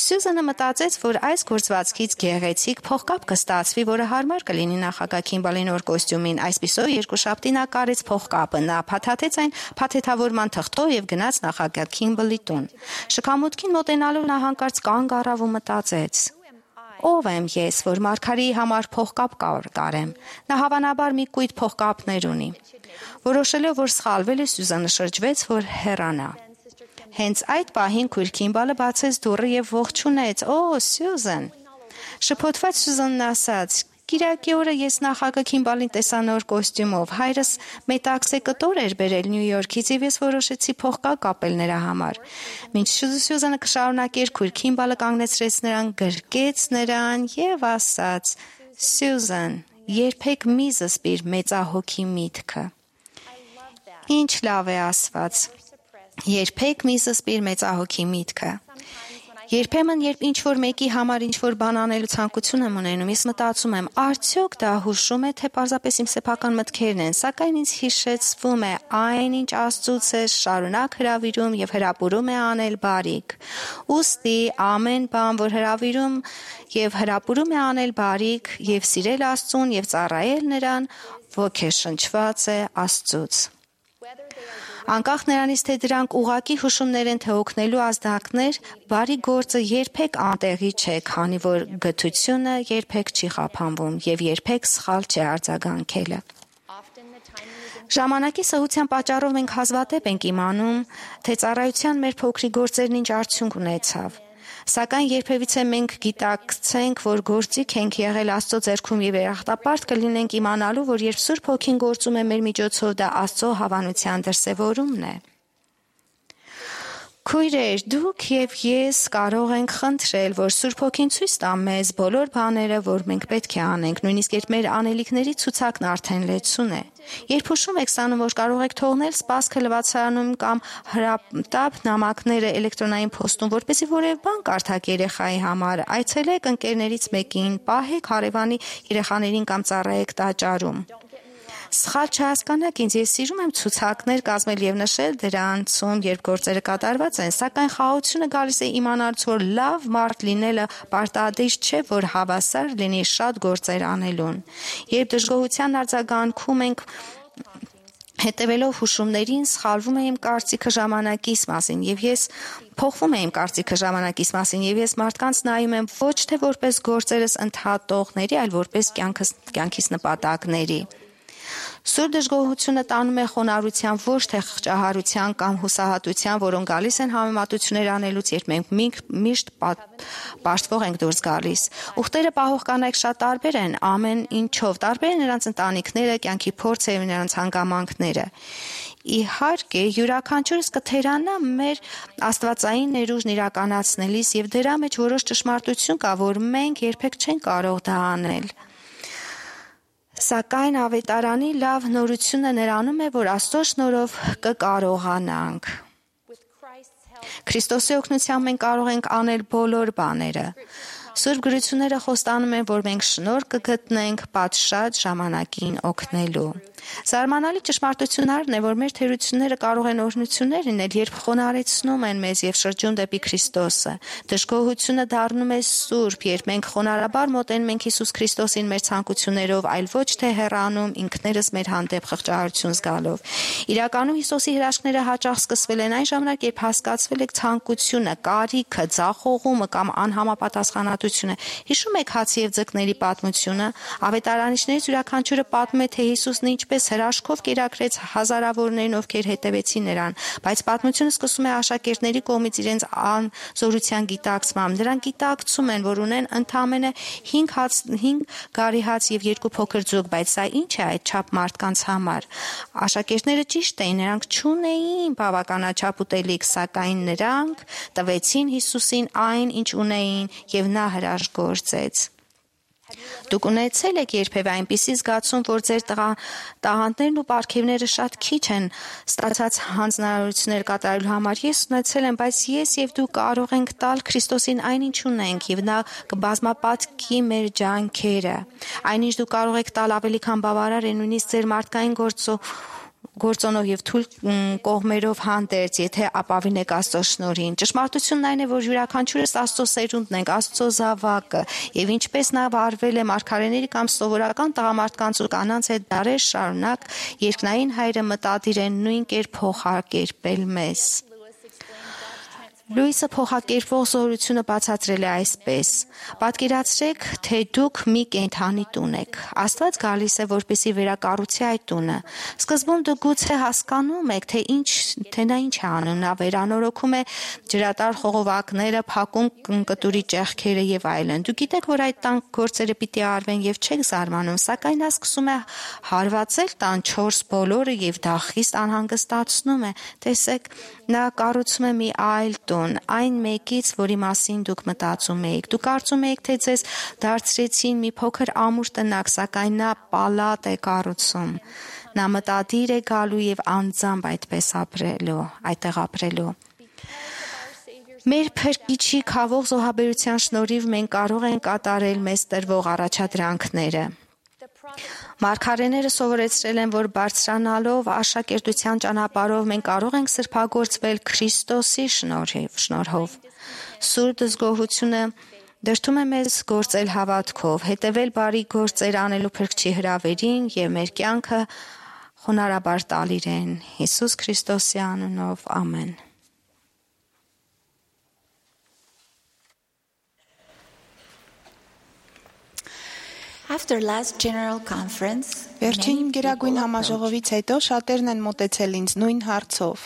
Սյուզանը մտածեց, որ այս գործվածքից գեղեցիկ փողկապ կստացվի, որը հարմար կլինի նախագահ Քիմբալի նոր կոստյումին։ Այսպիսով երկուշաբթի նա կարեց փողկապը, նա փաթաթեց այն փաթեթավորման թղթով եւ գնաց նախագահ Քիմբալի տուն։ Շքամուտքին մոտենալով նա հանկարծ կանգ առավ ու մտածեց. Ով եմ ես, որ Մարգարիի համար փողկապ կարեմ։ Նա հավանաբար մի կույտ փողկապներ ունի։ Որոշելով, որ սխալվել է, Սյուզանը շրջվեց, որ հեռանա։ Հենց այդ պահին քույր Քիմբալը բացեց դուռը եւ ողջունեց. «Օ, Սյուզան»։ Շփոթված Սյուզանն ասաց. «Կիրակի օրը ես նախագահ Քիմբալին տեսա նոր կոստյումով։ Հայրս մետաքսե կտոր էր բերել Նյու Յորքից եւ ես որոշեցի փողկապ կապել նրա համար»։ Մինչ Սյուզանը կշարունակեր, քույր Քիմբալը կանգնեցրեց նրան, գրկեց նրան եւ ասաց. «Սյուզան, երբեք մի զսպիր մեծահոգի միտքը»։ Ինչ լավ է ասված։ Երբեք մի զսպիր մեծահոգի միտքը։ Երբեմն, երբ ինչ-որ մեկի համար ինչ-որ բան անելու ցանկություն եմ ունենում, ես մտածում եմ, արդյոք դա հուշում է, թե պարզապես իմ սեփական մտքերն են, սակայն ինձ հիշեցվում է այն, ինչ Աստծուց է շարունակ հրավիրում եւ հրապուրում է անել բարիք։ Ուստի ամեն բան, որ հրավիրում եւ հրապուրում է անել բարիք եւ սիրել Աստծուն եւ ծառայել նրան, ոգեշնչված է Աստծուց։ Անկախ նրանից, թե դրանք ուղակի հուշումներ են, թե օգնելու ազդակներ, բարի գործը երբեք անտեղի չէ, քանի որ գթությունը երբեք չի խափանվում եւ երբեք սխալ չէ արձագանքելը։ Ժամանակի սահության պատճառով մենք հազվադեպ ենք իմանում, թե ծառայության մեր փոքրիկ գործերն ինչ արդյունք ունեցավ։ Սակայն երբևիցե մենք գիտակցենք, որ գործիք ենք եղել Աստծո ձեռքում եւ երախտապարտ կլինենք իմանալու, որ երբ Սուրբ Հոգին գործում է մեր միջոցով, դա Աստծո հավանության դրսևորումն է։ Քույրեր, դուք եւ ես կարող ենք խնդրել, որ Սուրբ Հոգին ցույց տա մեզ բոլոր բաները, որ մենք պետք է անենք, նույնիսկ երբ մեր անելիքների ցուցակն արդեն լեցուն է։ Երբ հուշում եք ստանում, որ կարող եք թողնել սպասքը լվացարանում կամ հրատապ նամակները էլեկտրոնային փոստում, որպեսզի որևէ բան կարդաք երեխայի համար, այցելեք ընկերներից մեկին, պահեք հարևանի երեխաներին կամ ծառայեք տաճարում։ Սխալ չհասկանաք ինձ, ես սիրում եմ ցուցակներ կազմել եւ նշել դրանցում, երբ գործերը կատարված են, սակայն խաղաղությունը գալիս է իմանալուց, որ լավ մարդ լինելը պարտադիր չէ, որ հավասար լինի շատ գործեր անելուն։ Երբ դժգոհության արձագանքում ենք հետևելով հուշումներին, սխալվում է իմ կարծիքը ժամանակիս մասին եւ ես փոխվում է իմ կարծիքը ժամանակիս մասին եւ ես մարդկանց նայում եմ ոչ թե որպես գործերս ընդհատողների, այլ որպես կյանքս կյանքիս նպատակների։ Սուր դժգոհությունը տանում է խոնարհության, ոչ թե խղճահարության կամ հուսահատության, որոնք գալիս են համեմատություններ անելուց, երբ մենք միշտ պաշտվող ենք դուրս գալիս։ Ուխտերը պահող կանայք շատ տարբեր են, ամեն ինչով տարբեր են նրանց ընտանիքները, կյանքի փորձը եւ նրանց հանգամանքները։ Իհարկե, յուրաքանչյուրս կթերանա մեր աստվածային ներուժն իրականացնելիս եւ դրա մեջ որոշ ճշմարտություն կա, որ մենք երբեք չենք կարող դա անել։ Սակայն ավետարանի լավ նորությունը նրանում է, որ Աստծո շնորհով կկարողանանք։ Քրիստոսի օգնությամբ մենք կարող ենք անել բոլոր բաները։ Սուրբ գրությունները խոստանում են, որ մենք շնորհ կգտնենք պատշաճ ժամանակին օգնելու։ Զարմանալի ճշմարտությունն է, որ մեր թերությունները կարող են օրհնություններ լինել, երբ խոնարհեցնում են մեզ եւ շրջում դեպի Քրիստոսը։ Դժգոհությունը դառնում է սուրբ, երբ մենք խոնարհաբար մոտենում ենք Հիսուս Քրիստոսին մեր ցանկություններով, այլ ոչ թե հեռանում ինքներս մեր հանդեպ խղճահարություն զգալով։ Իրականում Հիսուսի հրաշքները հաճախ սկսվել են այն ժամանակ, երբ հասկացվել եք ցանկությունը, կարիքը, ձախողումը կամ անհամապատասխանատվությունը։ Հիշում եք հացի եւ ձկների պատմությունը։ Ավետարանիչներից յուրաքանչյուրը պատմում է, թե Հիսուսն ինչպես հրաշքով կերակրեց հազարավորներին, ովքեր հետևեցին նրան, բայց պատմությունը սկսում է աշակերտների կողմից իրենց անզորության գիտակցմամբ։ Նրանք գիտակցում են, որ ունեն ընդամենը հինգ հաց, հինգ գարի հաց եւ երկու փոքր ձուկ, բայց սա ինչ է այդ չափ մարդկանց համար։ Աշակերտները ճիշտ էին, նրանք չունեին բավականաչափ ուտելիք, սակայն նրանք տվեցին Հիսուսին այն, ինչ ունեին, եւ նա հրաշք գործեց։ Դուք ունեցել եք երբևէ այնպիսի զգացում, որ ձեր տաղանդներն ու պարգևները շատ քիչ են ստացած հանձնարարություններ կատարելու համար։ Ես ունեցել եմ, բայց ես եւ դու կարող ենք տալ Քրիստոսին այն, ինչ ունենք, եւ նա կբազմապատկի մեր ջանքերը։ Այնինչ դուք կարող եք տալ ավելի քան բավարար է նույնիսկ ձեր մարդկային գործո գործոնով եւ թույլ կողմերով հանդերձ, եթե ապավինեք Աստծո շնորհին։ Ճշմարտությունն այն է, որ յուրաքանչյուրս Աստծո սերունդն ենք, Աստծո զավակը, եւ ինչպես նա վարվել է մարգարեների կամ սովորական տղամարդկանց ու կանանց հետ դարեր շարունակ, երկնային Հայրը մտադիր է նույն կերպ փոխարկել մեզ։ Լուիսը փոխակերպող զորությունը բացատրել է այսպես. Պատկերացրեք, թե դուք մի կենդանի տուն եք։ Աստված գալիս է, որպեսզի վերակառուցի այդ տունը։ Սկզբում դուք գուցե հասկանում եք, թե ինչ, թե նա ինչ է անում։ Նա վերանորոգում է ջրատար խողովակները, փակում կտուրի ճեղքերը եւ այլն։ Դուք գիտեք, որ այդ տան գործերը պիտի արվեն եւ չեք զարմանում, սակայն նա սկսում է հարվածել տան չորս բոլորը եւ դա խիստ անհանգստացնում է։ Տեսեք, նա կառուցում է մի այլ տուն, այն մեկից, որի մասին դուք մտածում եք։ Դուք կարծում եք, թե ձեզ դարձրեցին մի փոքր ամուր տնակ, սակայն նա պալատ է կառուցում։ Նա մտադիր է գալու եւ անձամբ այդպես ապրելու, այդտեղ ապրելու։ Մեր Փրկիչի քավող զոհաբերության շնորհիվ մենք կարող ենք կատարել մեզ տրվող առաջադրանքները։ Մարգարեները սովորեցրել են, որ բարձրանալով աշակերտության ճանապարհով մենք կարող ենք սրբագործվել Քրիստոսի շնորհիվ, շնորհով։ Սուրբ դժգոհությունը դրդում է մեզ գործել հավատքով, հետևել բարի գործեր անելու Փրկչի հրավերին եւ մեր կյանքը խոնարհաբար տալ իրեն։ Հիսուս Քրիստոսի անունով, ամեն։ After last general conference, Վերջին գերագույն համաժողովից հետո շատերն են մոտեցել ինձ նույն հարցով։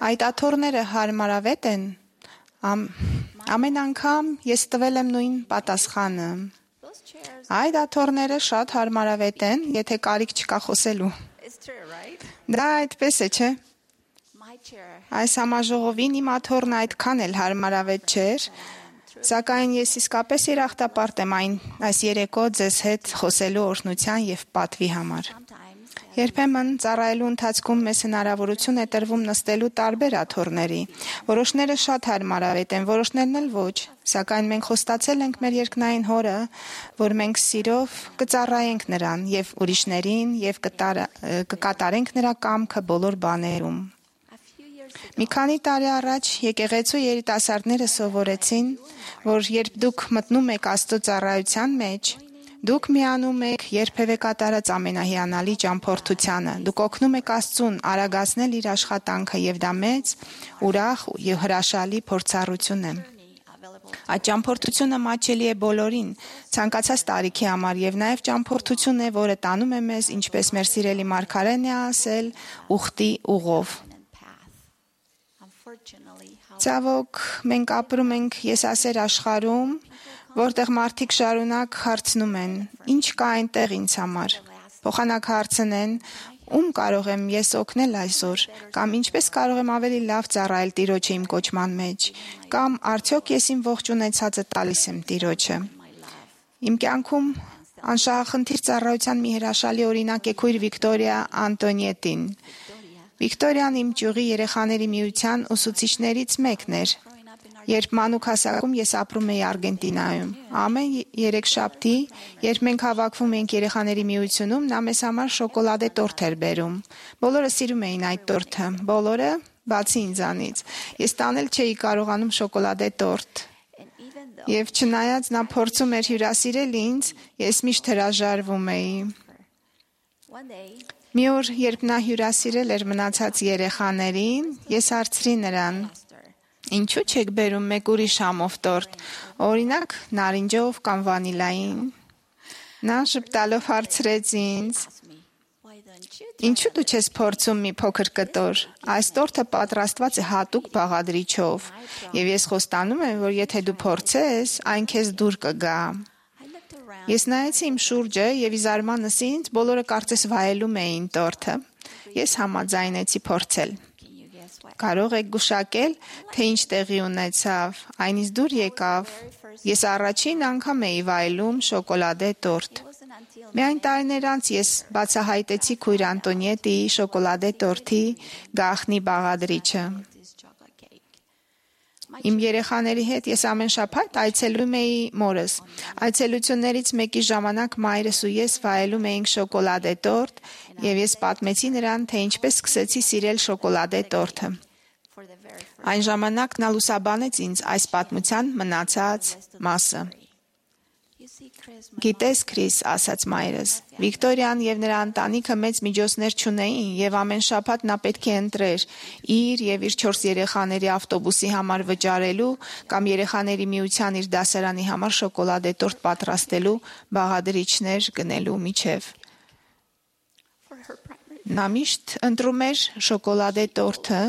Այդ աթոռները հարմարավետ են։ Ամ, ամեն անգամ ես տվել եմ նույն պատասխանը։ Այդ աթոռները շատ հարմարավետ են, եթե կարիք չկա խոսելու։ Դա այդպես է, չէ՞։ Այս համաժողովին իմ աթոռն այդքան էլ հարմարավետ չէր, սակայն ես իսկապես երախտապարտ եմ այն այս երեկո ձեզ հետ խոսելու օրհնության եւ պատվի համար։ Երբեմն ծառայելու ընթացքում մեզ հնարավորություն է տրվում նստելու տարբեր աթոռների։ Որոշները շատ հարմարավետ են, որոշներն էլ ոչ, սակայն մենք խոստացել ենք մեր երկնային Հորը, որ մենք սիրով կծառայենք նրան եւ ուրիշներին եւ կկատարենք նրա կամքը բոլոր բաներում։ Մի քանի տարի առաջ եկեղեցու երիտասարդները սովորեցին, որ երբ դուք մտնում եք Աստծո ծառայության մեջ, դուք միանում եք երբևէ կատարած ամենահիանալի ճամփորդությանը։ Դուք օգնում եք Աստծուն արագացնել իր աշխատանքը եւ դա մեծ, ուրախ եւ հրաշալի փորձառություն է։ Այդ ճամփորդությունը մաչելի է բոլորին, ցանկացած տարիքի համար եւ նաեւ ճամփորդություն է, որը տանում է մեզ, ինչպես մեր սիրելի Մարգարեն է ասել, ուխտի ուղով։ Ցավոք, մենք ապրում ենք եսասեր աշխարհում, որտեղ մարդիկ շարունակ հարցնում են. ինչ կա այնտեղ ինձ համար։ Փոխանակ հարցնեն. ում կարող եմ ես օգնել այսօր, կամ ինչպես կարող եմ ավելի լավ ծառայել Տիրոջը իմ կոչման մեջ, կամ արդյոք ես իմ ողջ ունեցածը տալիս եմ Տիրոջը։ Իմ կյանքում անշահախնդիր ծառայության մի հրաշալի օրինակ է քույր Վիկտորիա Անտոնիետին։ Վիկտորիան իմ ճյուղի երեխաների միության ուսուցիչներից մեկն էր։ Երբ մանուկ հասակում ես ապրում էի Արգենտինայում, ամեն երեքշաբթի, երբ մենք հավաքվում էինք երեխաների միությունում, նա մեզ համար շոկոլադե տորթ էր բերում։ Բոլորը սիրում էին այդ տորթը, բոլորը, բացի ինձանից։ Ես տանել չէի կարողանում շոկոլադե տորթ։ Եվ չնայած նա փորձում էր հյուրասիրել ինձ, ես միշտ հրաժարվում էի։ Մի օր, երբ նա հյուրասիրել էր մնացած երեխաներին, ես հարցրի նրան. Ինչու՞ չեք բերում մեկ ուրիշ համով տորթ, օրինակ նարինջով կամ վանիլային։ Նա շփտալով հարցրեց ինձ. Ինչու՞ դու չես փորձում մի փոքր կտոր։ Այս տորթը պատրաստված է հատուկ բաղադրիչով, եւ ես խոստանում եմ, որ եթե դու փորձես, այն քեզ դուր կգա։ Ես նայեցի իմ շուրջը եւ ի զարմանս ինձ բոլորը կարծես վայելում էին տորթը։ Ես համաձայնեցի փորձել։ Կարող եք գուշակել, թե ինչ տեղի ունեցավ, այնից դուր եկավ։ Ես առաջին անգամ էի վայելում շոկոլադե տորթ։ Միայն տարիներ անց ես բացահայտեցի քույր Անտոնիետիի շոկոլադե տորթի գաղտնի բաղադրիչը։ Իմ երեխաների հետ ես ամեն շաբաթ այցելում էի մորս։ Այցելություններից մեկի ժամանակ մայրս ու ես վայելում էինք շոկոլադե տորթ, եւ ես պատմեցի նրան, թե ինչպես սկսեցի սիրել շոկոլադե տորթը։ Այն ժամանակ նա լուսաբանեց ինձ այս պատմության մնացած մասը։ Գիտես, Քրիս, ասաց մայրս, Վիկտորիան եւ նրա ընտանիքը մեծ միջոցներ չունեին եւ ամեն շաբաթ նա պետք է ընտրեր իր եւ իր չորս երեխաների ավտոբուսի համար վճարելու կամ երեխաների միության իր դասարանի համար շոկոլադե տորթ պատրաստելու բաղադրիչներ գնելու միջև։ Նա միշտ ընտրում էր շոկոլադե տորթը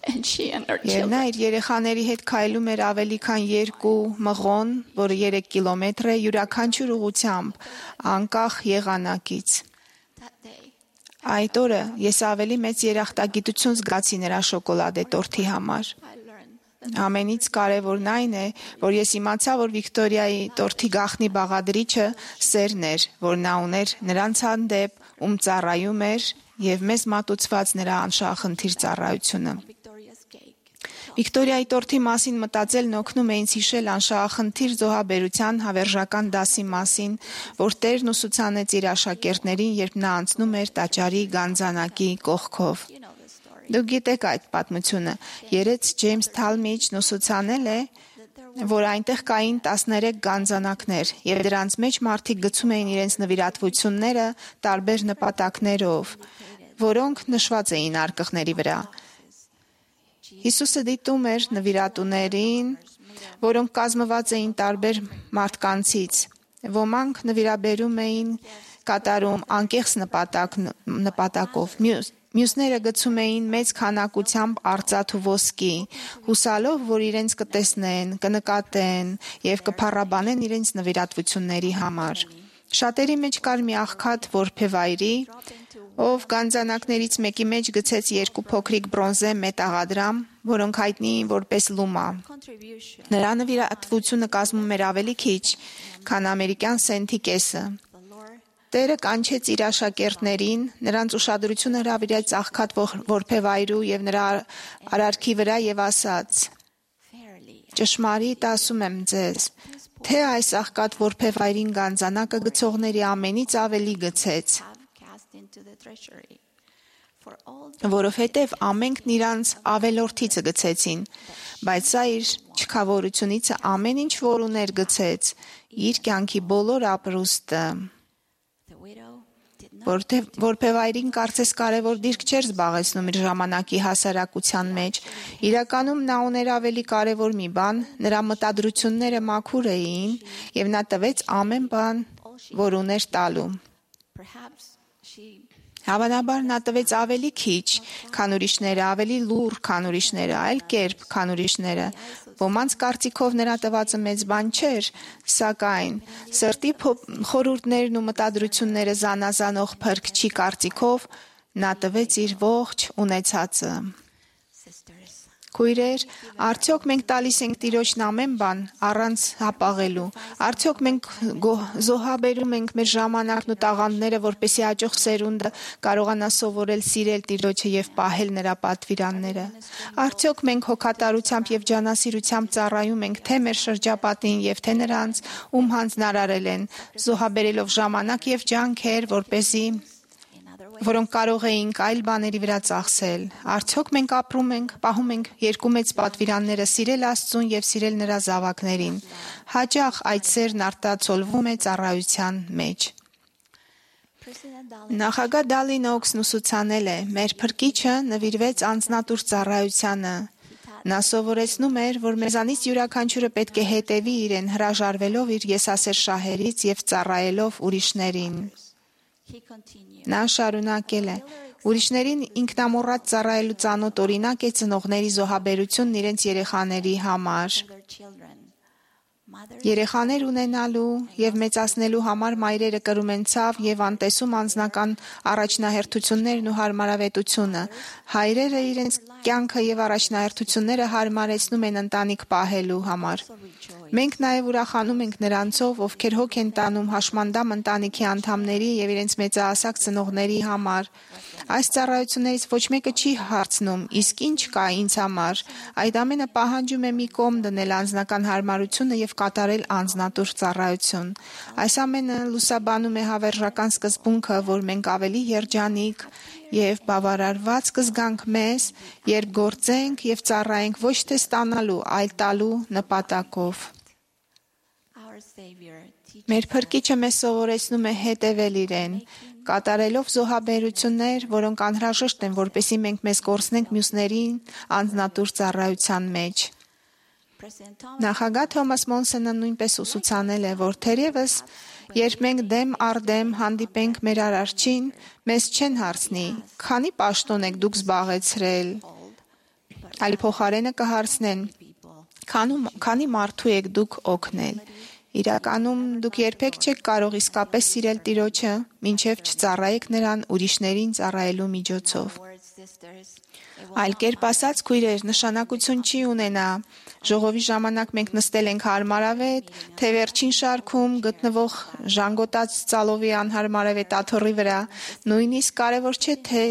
Եվ նա իր երեխաների հետ քայլում էր ավելի քան երկու մղոն, որը երեք կիլոմետր է յուրաքանչյուր ուղղությամբ, անկախ եղանակից։ Այդ օրը ես ավելի մեծ երախտագիտություն զգացի նրա շոկոլադե տորթի համար։ Ամենից կարևորն այն է, որ ես իմացա, որ Վիկտորիայի տորթի գաղտնի բաղադրիչը սերն էր, որ նա ուներ նրանց հանդեպ, ում ծառայում էր եւ մեզ մատուցված նրա անշահախնդիր ծառայությունը։ Վիկտորիայի տորթի մասին մտածելն օգնում է ինձ հիշել անշահախնդիր զոհաբերության հավերժական դասի մասին, որ Տերն ուսուցանեց իր աշակերտներին, երբ նա անցնում էր տաճարի գանձանակի կողքով։ Դուք գիտեք այդ պատմությունը։ Երեց Ջեյմս Թալմիջն ուսուցանել է, որ այնտեղ կային տասներեք գանձանակներ, եւ դրանց մեջ մարդիկ գցում էին իրենց նվիրատվությունները տարբեր նպատակներով, որոնք նշված էին արկղների վրա։ Հիսուսը դիտում էր նվիրատուներին, որոնք կազմված էին տարբեր մարդկանցից։ Ոմանք նվիրաբերում էին կատարում անկեղծ նպատակ, նպատակով, մյուս Մյուսները գցում էին մեծ քանակությամբ արծաթ ու ոսկի, հուսալով, որ իրենց կտեսնեն, կնկատեն եւ կփառաբանեն իրենց նվիրատվությունների համար։ Շատերի մեջ կար մի աղքատ որբևայրի, ով գանձանակներից մեկի մեջ գցեց երկու փոքրիկ բրոնզե մետաղադրամ, որոնք հայտնի էին որպես լումա։ Նրա նվիրատվությունը կազմում էր ավելի քիչ, քան ամերիկյան սենթի կեսը։ Տերը կանչեց իր աշակերտներին, նրանց ուշադրությունը հրավիրեց աղքատ որբևայրու եւ նրա արարքի վրա եւ ասաց. Ճշմարիտ ասում եմ ձեզ, թե այս աղքատ որբևայրին գանձանակը գցողների ամենից ավելի գցեց, որովհետև ամենքն իրանց ավելորդիցը գցեցին, բայց սա իր չքավորությունից ամեն ինչ որ ուներ գցեց, իր կյանքի բոլոր ապրուստը։ Որբևայրին կարծես կարևոր դիրք չէր զբաղեցնում իր ժամանակի հասարակության մեջ, իրականում նա ուներ ավելի կարևոր մի բան, նրա մտադրությունները մաքուր էին եւ նա տվեց ամեն բան, որ ուներ տալու։ Հավանաբար նա տվեց ավելի քիչ, քան ուրիշները, ավելի լուռ, քան ուրիշները, այլ կերպ, քան ուրիշները։ Ոմանց կարծիքով նրա տվածը մեծ բան չէր, սակայն սրտի խորհուրդներն ու մտադրությունները զանազանող փրկչի կարծիքով նա տվեց իր ողջ ունեցածը։ Քույրեր, արդյոք մենք տալիս ենք Տիրոջն ամեն բան առանց հապաղելու։ Արդյոք մենք զոհաբերում ենք մեր ժամանակն ու տաղանդները, որպեսզի հաջող սերունդը կարողանա սովորել սիրել Տիրոջը եւ պահել նրա պատվիրանները։ Արդյոք մենք հոգատարությամբ եւ ջանասիրությամբ ծառայում ենք թե մեր շրջապատին եւ թե նրանց, ում հանձնարարել են, զոհաբերելով ժամանակ եւ ջանքեր, որպեսզի որոնք կարող էինք այլ բաների վրա ծախսել։ Արդյոք մենք ապրում ենք, պահում ենք երկու մեծ պատվիրանները՝ սիրել Աստծուն եւ սիրել նրա զավակներին։ Հաճախ այդ սերն արտացոլվում է ծառայության մեջ։ Նախագահ Դալին Օքսն ուսուցանել է. մեր փրկիչը նվիրվեց անձնատուր ծառայությանը։ Նա սովորեցնում էր, որ մեզանից յուրաքանչյուրը պետք է հետևի իրեն, հրաժարվելով իր եսասեր շահերից եւ ծառայելով ուրիշներին։ Նա շարունակել է. ուրիշներին ինքնամոռատ ծառայելու ծանոթ օրինակ է ծնողների զոհաբերությունն իրենց երեխաների համար։ Երեխաներ ունենալու եւ մեծացնելու համար մայրերը կրում են ցավ եւ անտեսում անձնական առաջնահերթություններն ու հարմարավետությունը։ Հայրերը իրենց կյանքը եւ առաջնահերթությունները հարմարեցնում են ընտանիք պահելու համար։ Մենք նաեւ ուրախանում ենք նրանցով, ովքեր հոգ են տանում հաշմանդամ ընտանիքի անդամների եւ իրենց մեծահասակ ծնողների համար։ Այս ծառայություններից ոչ մեկը չի հարցնում. իսկ ինչ կա ինձ համար։ Այդ ամենը պահանջում է մի կողմ դնել անձնական հարմարությունը եւ կատարել անձնատուր ծառայություն։ Այս ամենը լուսաբանում է հավերժական սկզբունքը, որ մենք ավելի երջանիկ եւ բավարարված կզգանք մեզ, երբ գործենք եւ ծառայենք ոչ թե ստանալու, այլ տալու նպատակով։ Մեր փրկիչը մեզ սովորեցնում է հետևել իրեն, կատարելով զոհաբերություններ, որոնք անհրաժեշտ են, որպեսզի մենք մեզ կորցնենք մյուսներին անձնատուր ծառայության մեջ։ Նախագահ Թոմաս Մոնսոնը նույնպես ուսուցանել է, որ թերևս երբ մենք դեմ առ դեմ հանդիպենք մեր արարչին, մեզ չեն հարցնի. քանի պաշտոն եք դուք զբաղեցրել, այլ փոխարենը կհարցնեն. քանի մարդու եք դուք օգնել։ Իրականում դուք երբեք չեք կարող իսկապես սիրել Տիրոջը, մինչև չծառայեք նրան ուրիշներին ծառայելու միջոցով։ Այլ կերպ ասած, քույրեր, նշանակություն չի ունենա ժողովի ժամանակ մենք նստել ենք հարմարավետ, թե վերջին շարքում գտնվող ժանգոտած ծալովի անհարմարավետ աթոռի վրա։ Նույնիսկ կարևոր չէ, թե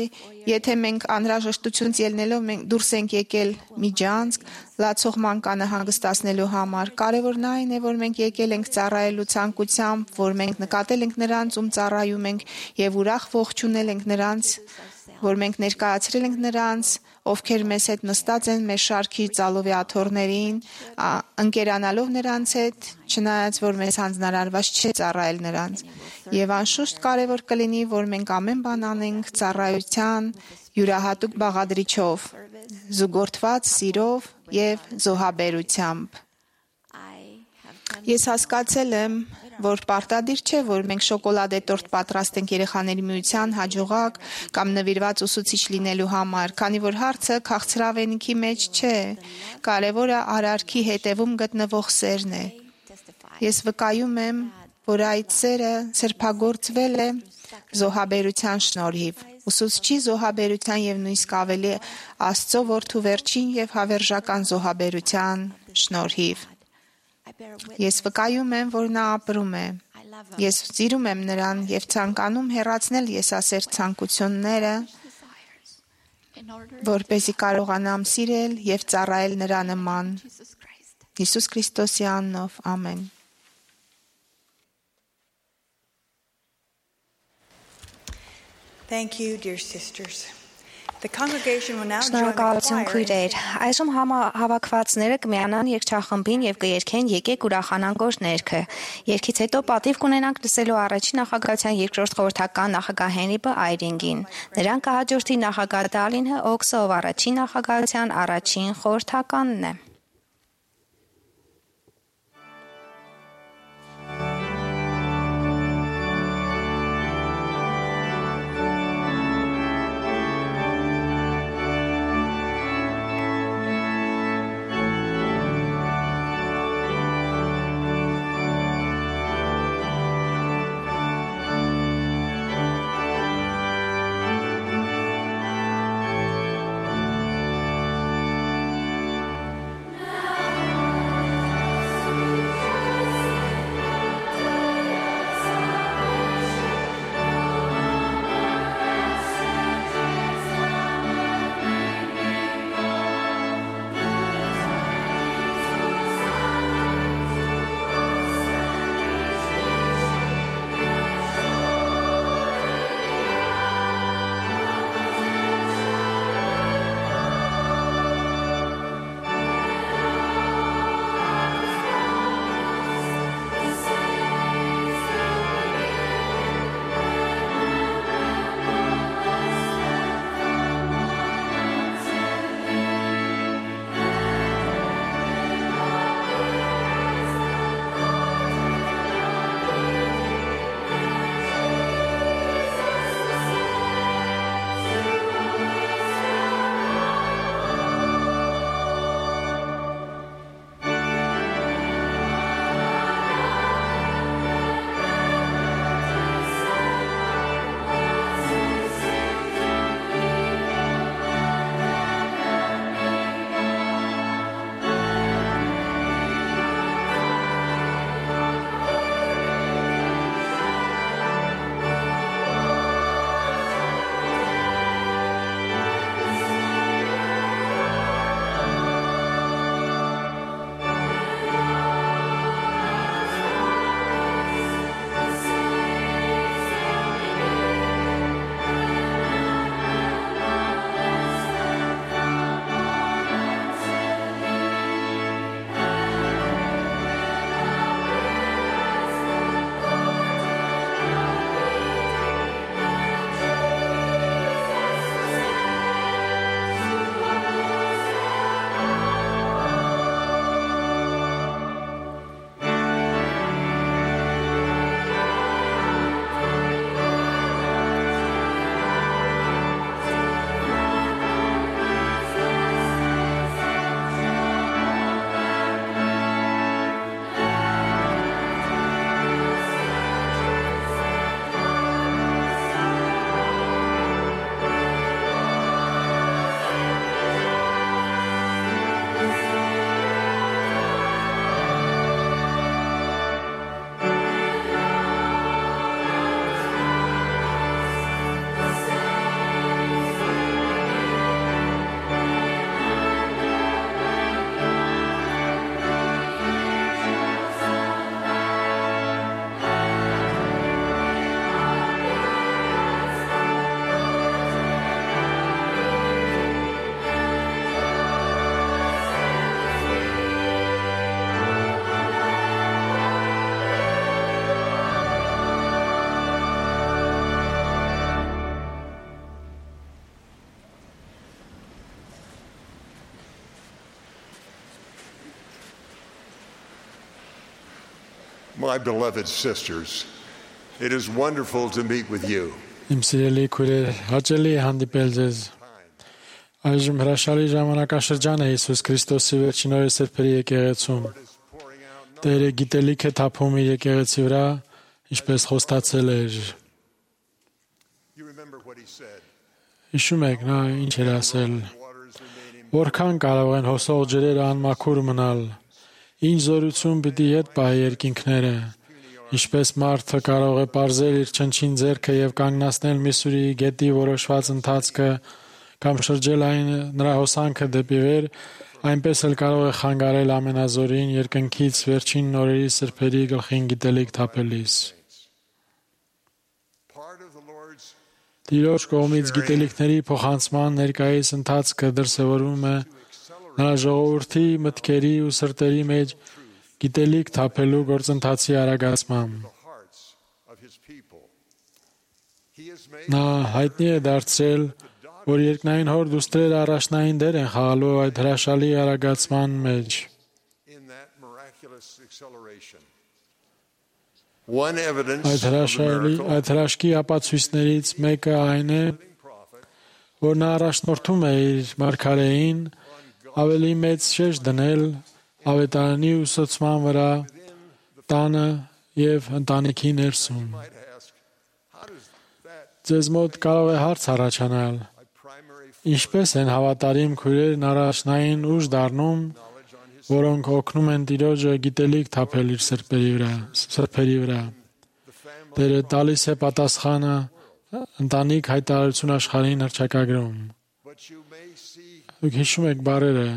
եթե մենք անհրաժեշտությունից ելնելով մենք դուրս ենք եկել միջանցք, լացող մանկանը հանգստացնելու համար։ Կարևորն այն է, որ մենք եկել ենք ծառայելու ցանկությամբ, որ մենք նկատել ենք նրանց, ում ծառայում ենք, եւ ուրախ ողջունել ենք նրանց, որ մենք ներկայացրել ենք նրանց, ովքեր մեզ հետ նստած են մեր շարքի ծալովի աթոռներին, ընկերանալով նրանց հետ, չնայած որ մեզ հանձնարարված չէ ծառայել նրանց։ Եվ անշուշտ կարևոր կլինի, որ մենք ամեն բան անենք ծառայության յուրահատուկ բաղադրիչով, զուգորդված սիրով եւ զոհաբերությամբ։ Ես հասկացել եմ, որ պարտադիր չէ, որ մենք շոկոլադե տորտ պատրաստենք երեխաների միության հաջողակ կամ նվիրված ուսուցիչ լինելու համար, քանի որ հարցը քաղցրավենիքի մեջ չէ, կարևորը արարքի հետևում գտնվող սերն է։ Ես վկայում եմ, որ այդ սերը սրբագործվել է զոհաբերության շնորհիվ։ Ուսուցչի զոհաբերության եւ նույնիսկ ավելի Աստծո որդու վերջին եւ հավերժական զոհաբերության շնորհիվ։ Ես վկայում եմ, որ նա ապրում է։ Ես սիրում եմ նրան եւ ցանկանում հեռացնել եսասեր ցանկությունները, որպեսզի կարողանամ սիրել եւ ծառայել նրա նման։ Հիսուս Քրիստոսի անունով, ամեն։ Thank you, dear sisters. The congregation will now join the Շնորհակալություն choir. քույրեր։ Այժմ հավաքվածները կմիանան երգչախմբին եւ կերկեն եկեք ուրախանանք օրհներքը։ Երգից հետո պատիվ կունենանք լսելու առաջին նախագահության երկրորդ խորհրդական նախագահ Հենրի Այրինգին։ Նրան կհաջորդի նախագահ Դալինը Օքսը, ով առաջին նախագահության առաջին խորհրդականն է։ My beloved sisters, it is wonderful to meet with you. Իմ սիրելի քույրեր, հաճելի է հանդիպել ձեզ։ Այժմ հրաշալի ժամանակաշրջան է Հիսուս Քրիստոսի վերջին օրը սրբերի եկեղեցում։ Տերը գիտելիք է թափում իր եկեղեցի վրա ինչպես խոստացել էր։ Հիշում եք նա ինչ էր ասել. որքան կարող են հոսող ջրերը անմաքուր մնալ, ինչ զորություն պիտի հետ պահի երկինքները, ինչպես մարդը կարող է պարզել իր չնչին ձեռքը եւ կանգնացնել Միսուրի գետի որոշված ընթացքը կամ շրջել այն նրա հոսանքը դեպի վեր, այնպես էլ կարող է խանգարել ամենազորին երկնքից վերջին նորերի սրբերի գլխին գիտելիք թափելիս։ Տիրոջ կողմից գիտելիքների փոխանցման ներկայիս ընթացքը դրսևորվում է նրա ժողովրդի մտքերի ու սրտերի մեջ գիտելիք թափելու գործընթացի արագացմամբ։ Նա հայտնի է դարձրել, որ երկնային հոր դուստրերը առաջնային դեր են խաղալու այդ հրաշալի արագացման մեջ։ Այդ հրաշալի, այդ հրաշքի ապացույցներից մեկը այն է, որ նա առաջնորդում է իր մարգարեին ավելի մեծ շեշտ դնել ավետարանի ուսուցման վրա, տանը եւ ընտանիքի ներսում։ Ձեզ մոտ կարող է հարց առաջանալ. ինչպես են հավատարիմ քույրերն առաջնային ուժ դառնում, որոնք օգնում են Տիրոջը գիտելիք թափել իր սրբերի վրա, սրբերի վրա։ Տերը տալիս է պատասխանը ընտանիք հայտարարություն աշխարհին հռչակագրում։ Դուք հիշում եք բառերը,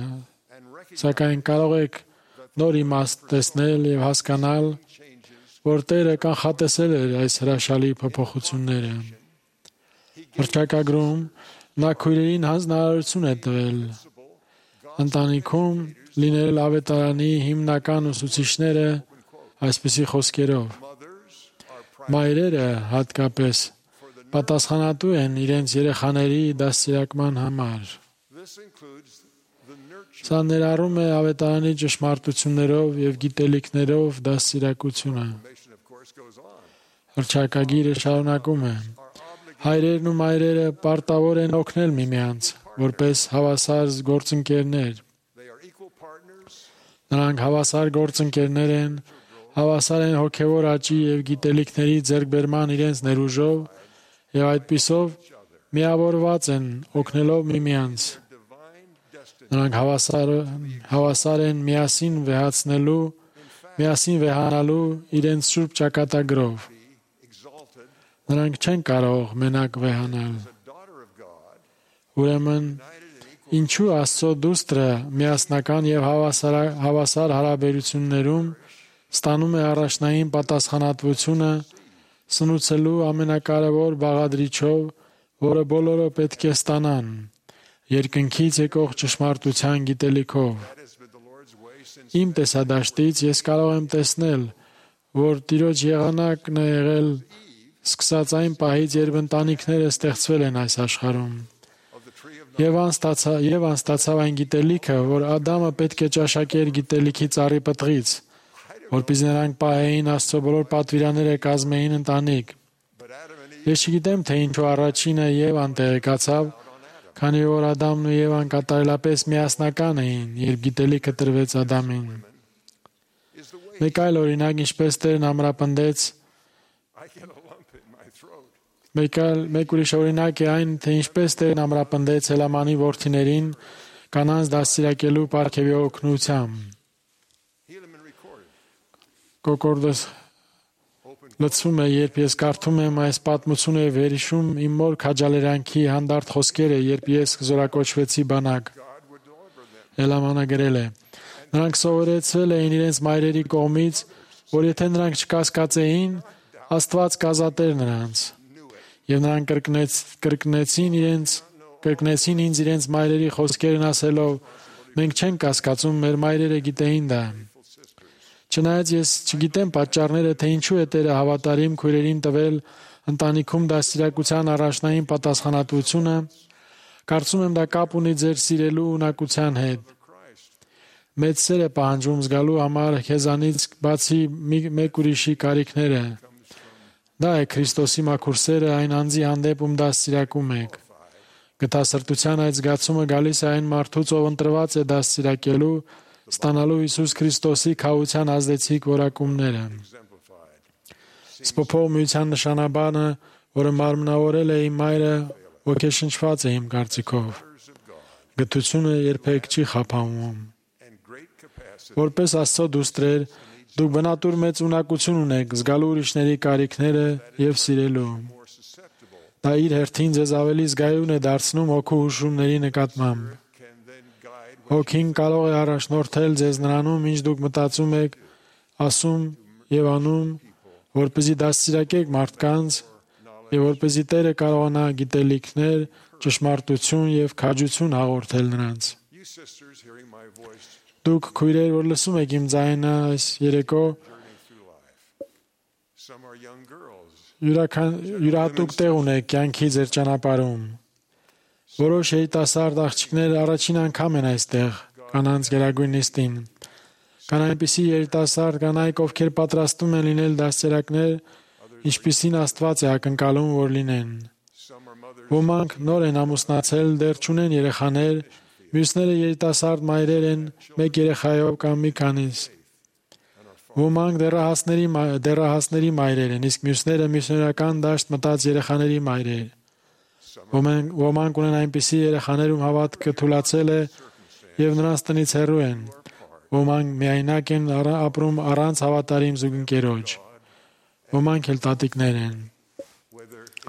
սակայն կարող եք նոր իմաստ տեսնել եւ հասկանալ, որ Տերը կանխատեսել էր այս հրաշալի փոփոխությունները։ Հռչակագրում նա քույրերին հանձնարարություն է տվել ընտանիքում լինել ավետարանի հիմնական ուսուցիչները այսպիսի խոսքերով. մայրերը հատկապես պատասխանատու են իրենց երեխաների դաստիարակման համար։ Սա ներառում է ավետարանի ճշմարտություններով եւ գիտելիքներով դաստիարակությունը։ Հռչակագիրը շարունակում է. հայրերն ու մայրերը պարտավոր են օգնել միմյանց, որպես հավասար գործընկերներ։ Նրանք հավասար գործընկերներ են, հավասար են հոգևոր աճի եւ գիտելիքների ձեռքբերման իրենց ներուժով եւ այդպիսով միավորված են օգնելով միմյանց։ Նրանք հավասար, հավասար են միասին վեհացնելու, միասին վեհանալու իրենց սուրբ ճակատագրով։ Նրանք չեն կարող մենակ վեհանալ։ Ուրեմն, ինչու Աստծո դուստրը միասնական եւ հավասար, հավասար հարաբերություններում ստանում է առաջնային պատասխանատվությունը սնուցելու ամենակարևոր բաղադրիչով, որը բոլորը պետք է ստանան, երկնքից եկող ճշմարտության գիտելիքով։ Իմ տեսադաշտից ես կարող եմ տեսնել, որ Տիրոջ եղանակն է եղել սկսած այն պահից, երբ ընտանիքները ստեղծվել են այս աշխարհում։ Եվ անստացավ, եւ անստացավ այն գիտելիքը, որ Ադամը պետք է ճաշակեր գիտելիքի ծառի պտղից, որպեսզի նրանք պահեին Աստծո բոլոր պատվիրանները կազմեին ընտանիք։ Ես չգիտեմ, թե ինչու առաջինը Եվան տեղեկացավ, քանի որ Ադամն ու Եվան կատարելապես միասնական էին, երբ գիտելիքը տրվեց Ադամին։ Մեկ այլ օրինակ, ինչպես Տերն ամրապնդեց, մեկ այլ մեկ ուրիշ օրինակ է այն, թե ինչպես Տերն ամրապնդեց Հելամանի որդիներին կանանց դաստիարակելու պարգևի օգնությամբ։ Կոկորդս լցվում է, երբ ես կարդում եմ այս պատմությունը եւ վերհիշում իմ մոր քաջալերանքի հանդարտ խոսքերը, երբ ես զորակոչվեցի բանակ։ Հելամանը գրել է. նրանք սովորեցել էին իրենց մայրերի կողմից, որ եթե նրանք չկասկածեին, Աստված կազատեր նրանց։ Եվ նրանք կրկնեց, կրկնեցին իրենց, կրկնեցին ինձ իրենց մայրերի խոսքերն ասելով. մենք չենք կասկածում, մեր մայրերը գիտեին դա։ Չնայած ես չգիտեմ պատճառները, թե ինչու է Տերը հավատարիմ քույրերին տվել ընտանիքում դաստիարակության առաջնային պատասխանատվությունը, կարծում եմ դա կապ ունի ձեր սիրելու ունակության հետ։ Մեծ սեր է պահանջում զգալու համար քեզանից բացի մեկ ուրիշի կարիքները։ Դա է Քրիստոսի մաքուր սերը այն անձի հանդեպ, ում դաստիարակում եք։ Գթասրտության այդ զգացումը գալիս է այն մարդուց, ով ընտրված է դաստիարակելու, ստանալու Հիսուս Քրիստոսի քավության ազդեցիկ որակումները։ Սփոփող միության նշանաբանը, որը մարմնավորել է իմ մայրը, ոգեշնչված է իմ կարծիքով։ Գթությունը երբեք չի խափանվում։ Որպես Աստծո դուստրեր, դուք բնատուր մեծ ունակություն ունեք զգալու ուրիշների կարիքները եւ սիրելու։ Դա իր հերթին ձեզ ավելի զգայուն է դարձնում հոգու հուշումների նկատմամբ։ Հոգին կարող է առաջնորդել ձեզ նրանում, ինչ դուք մտածում եք, ասում եւ անում, որպեսզի դաստիարակեք մարդկանց եւ որպեսզի Տերը կարողանա գիտելիքներ, ճշմարտություն եւ քաջություն հաղորդել նրանց։ Դուք քույրեր, որ լսում եք իմ ձայնը այս երեկո, յուրահատուկ տեղ ունեք կյանքի ձեր ճանապարհում։ Որոշ երիտասարդ աղջիկներ առաջին անգամ են այստեղ, կանանց գերագույն նիստին։ Կան այնպիսի երիտասարդ կանայք, ովքեր պատրաստում են լինել դաստիարակներ, ինչպիսին Աստված է ակնկալում, որ լինեն։ Ոմանք նոր են ամուսնացել, դեռ չունեն երեխաներ, մյուսները երիտասարդ մայրեր են, մեկ երեխայով կամ մի քանիս։ Ոմանք դեռահասների դեռահասների մայրեր են, իսկ մյուսները միսիոներական դաշտ մտած երեխաների մայրեր։ Ոմանք ոմանք ունեն այնպիսի երեխաներ, ում հավատքը թուլացել է եւ նրանց տնից հեռու են։ Ոմանք միայնակ են ապրում առանց հավատարիմ զուգընկերոջ։ Ոմանք էլ տատիկներ են։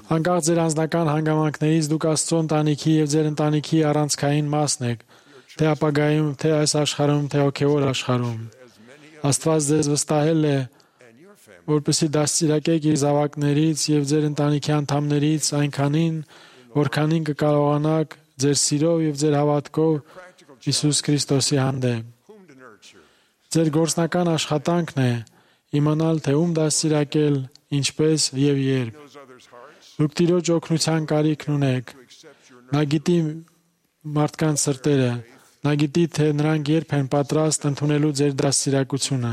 Անկախ ձեր անձնական հանգամանքներից դուք Աստծո ընտանիքի եւ ձեր ընտանիքի առանցքային մասն եք, թե ապագայում, թե այս աշխարհում, թե հոգեվոր աշխարհում։ Աստված ձեզ վստահել է, որպեսզի դաստիարակեք իր զավակներից եւ ձեր ընտանիքի անդամներից այնքանին, որքանին կկարողանաք ձեր սիրով եւ ձեր հավատքով Հիսուս Քրիստոսի հանդեպ։ Ձեր գործնական աշխատանքն է իմանալ, թե ում դաստիարակել, ինչպես եւ երբ։ Դուք Տիրոջ օգնության կարիքն ունեք։ Նա գիտի մարդկանց սրտերը, նա գիտի, թե նրանք երբ են պատրաստ ընդունելու ձեր դաստիարակությունը։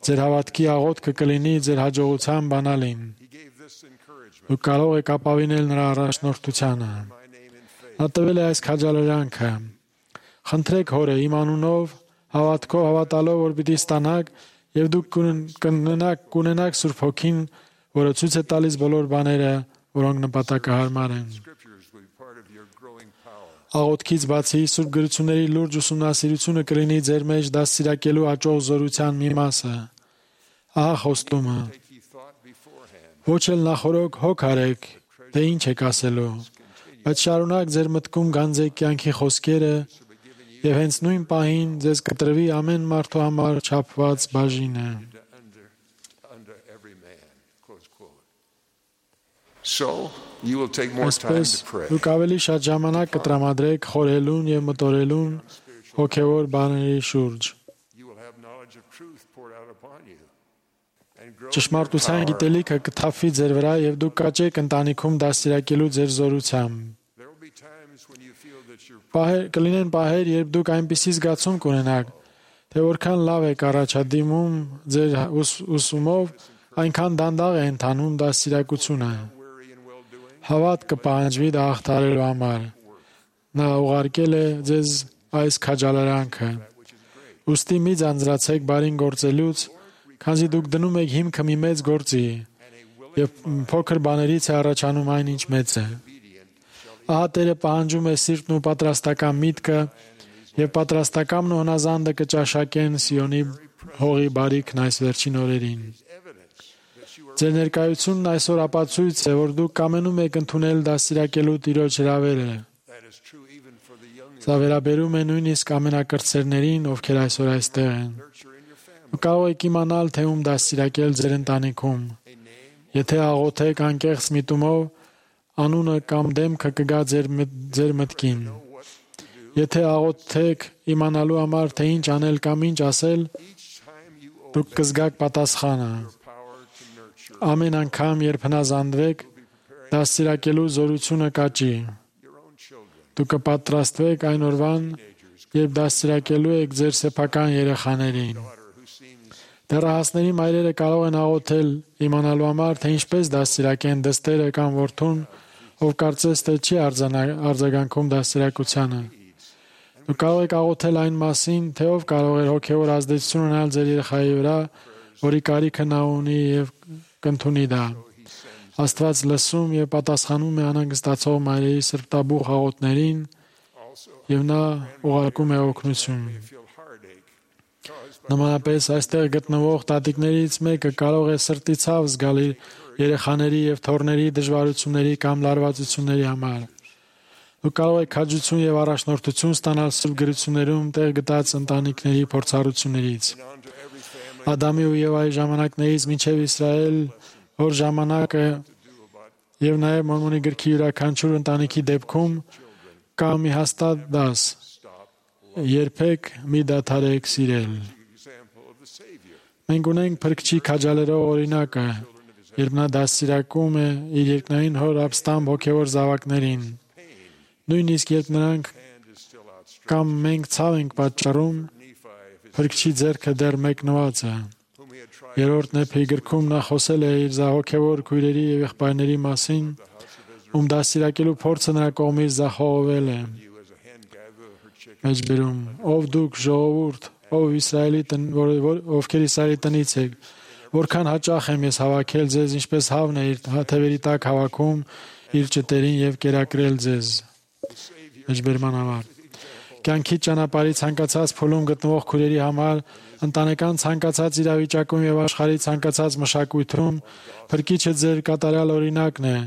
Ձեր հավատքի աղոթքը կլինի ձեր հաջողության բանալին։ Դուք կարող եք ապավինել նրա առաջնորդությանը։ Նա տվել է այս քաջալերանքը։ Խնդրեք Հորը իմ անունով, հավատքով հավատալով, որ պիտի ստանաք, եւ դուք կունենաք կունենաք Սուրբ Հոգին, որը ցույց է տալիս բոլոր բաները, որոնք նպատակահարմար են։ Աղոթքից բացի Սուրբ գրությունների լուրջ ուսումնասիրությունը կլինի ձեր մեջ դաստիարակելու աճող զորության մի մասը։ Ահա խոստումը։ Ոչ էլ նախորոք հոգ արեք, թե ինչ եք ասելու, բայց շարունակ ձեր մտքում գանձեք կյանքի խոսքերը եւ հենց նույն պահին ձեզ կտրվի ամեն մարդու համար չափված բաժինը։ So, you will take more time Այսպես to pray. դուք ավելի շատ ժամանակ կտրամադրեք խորհելուն եւ մտորելուն հոգեվոր բաների շուրջ։ You will have knowledge of truth poured out upon you. And grow Ճշմարտության գիտելիքը կթափվի ձեր վրա եւ դուք կաճեք ընտանիքում դաստիարակելու ձեր զորությամբ։ There will be times when you feel that you're Պահեր կլինեն պահեր, երբ դուք այնպիսի զգացում կունենաք, թե որքան լավ եք առաջադիմում ձեր ուս- ուսումով, այնքան դանդաղ է ընթանում դաստիարակությունը։ Հավատ կպահանջվի դա հաղթահարելու համար։ Նա ուղարկել է ձեզ այս քաջալերանքը։ Ուստի մի ձանձրացեք բարին գործելուց, քանզի դուք դնում եք հիմքը մի մեծ գործի, եւ փոքր բաներից է առաջանում այն, ինչ մեծ է։ Ահա Տերը պահանջում է սիրտն ու պատրաստական միտքը, եւ պատրաստակամն ու հնազանդը կճաշակեն Սիոնի հողի բարիքն այս վերջին օրերին։ Ձեր ներկայությունն այսօր ապացույց է, որ դուք կամենում եք ընդունել դաստիարակելու Տիրոջ հրավերը։ Սա վերաբերում է նույնիսկ ամենակրտսերներին, ովքեր այսօր այստեղ են։ Դուք կարող եք իմանալ, թե ում դաստիարակել ձեր ընտանիքում։ Եթե աղոթեք անկեղծ միտումով, անունը կամ դեմքը կգա ձեր մտ- ձեր մտքին։ Եթե աղոթեք իմանալու համար, թե ինչ անել կամ ինչ ասել, դուք կզգաք պատասխանը։ Ամեն անգամ, երբ հնազանդվեք, դաստիարակելու զորությունը կաճի։ Դուք կպատրաստվեք այն օրվան, երբ դաստիարակելու եք ձեր սեփական երեխաներին։ Դեռահասների մայրերը կարող են աղոթել իմանալու համար, թե ինչպես դաստիարակեն դստերը կամ որդուն, ով կարծես թե չի արձանա- արձագանքում դաստիարակությանը։ Դուք կարող եք աղոթել այն մասին, թե ով կարող է հոգևոր ազդեցություն ունենալ ձեր երեխայի վրա, որի կարիքը նա ունի եւ կընդունի դա։ Աստված լսում եւ պատասխանում է անհանգստացող մայրերի սրտաբուխ աղոթներին եւ նա ուղարկում է օգնություն։ Նմանապես այստեղ գտնվող տատիկներից մեկը կարող է սրտի ցավ զգալ իր երեխաների եւ թոռների դժվարությունների կամ լարվածությունների համար։ Դուք կարող եք քաջություն եւ առաջնորդություն ստանալ սուրբ գրություններում տեղ գտած ընտանիքների փորձառություններից։ Ադամի ու Եվայի ժամանակներից մինչև Իսրայել, որ ժամանակը եւ նաեւ Մորմոնի գրքի յուրաքանչյուր ընտանիքի դեպքում կա մի հաստատ դաս. երբեք մի դադարեք սիրել։ Մենք ունենք Փրկչի քաջալերող օրինակը, երբ նա դաստիարակում է իր երկնային հոր ապստամբ հոգևոր զավակներին։ Նույնիսկ երբ նրանք կամ մենք ցավ ենք պատճառում, Փրկչի ձեռքը դեռ մեկնված է։ Երրորդ Նեփի գրքում նա խոսել է իր հոգևոր քույրերի եւ եղբայրների մասին, ում դաստիարակելու փորձը նրա կողմից զախողվել է։ Մեջբերում. ով դուք ժողովուրդ, ով Իսրայելի տնից, ովքեր Իսրայելի տնից եք, որքան հաճախ եմ ես հավաքել ձեզ, ինչպես հավն է իր թևերի տակ հավաքում իր ճտերին եւ կերակրել ձեզ։ Մեջբերման համար. Կյանքի ճանապարհի ցանկացած փուլում գտնվող քույրերի համար, ընտանեկան ցանկացած իրավիճակում եւ աշխարհի ցանկացած մշակույթում Փրկիչը ձեր կատարյալ օրինակն է,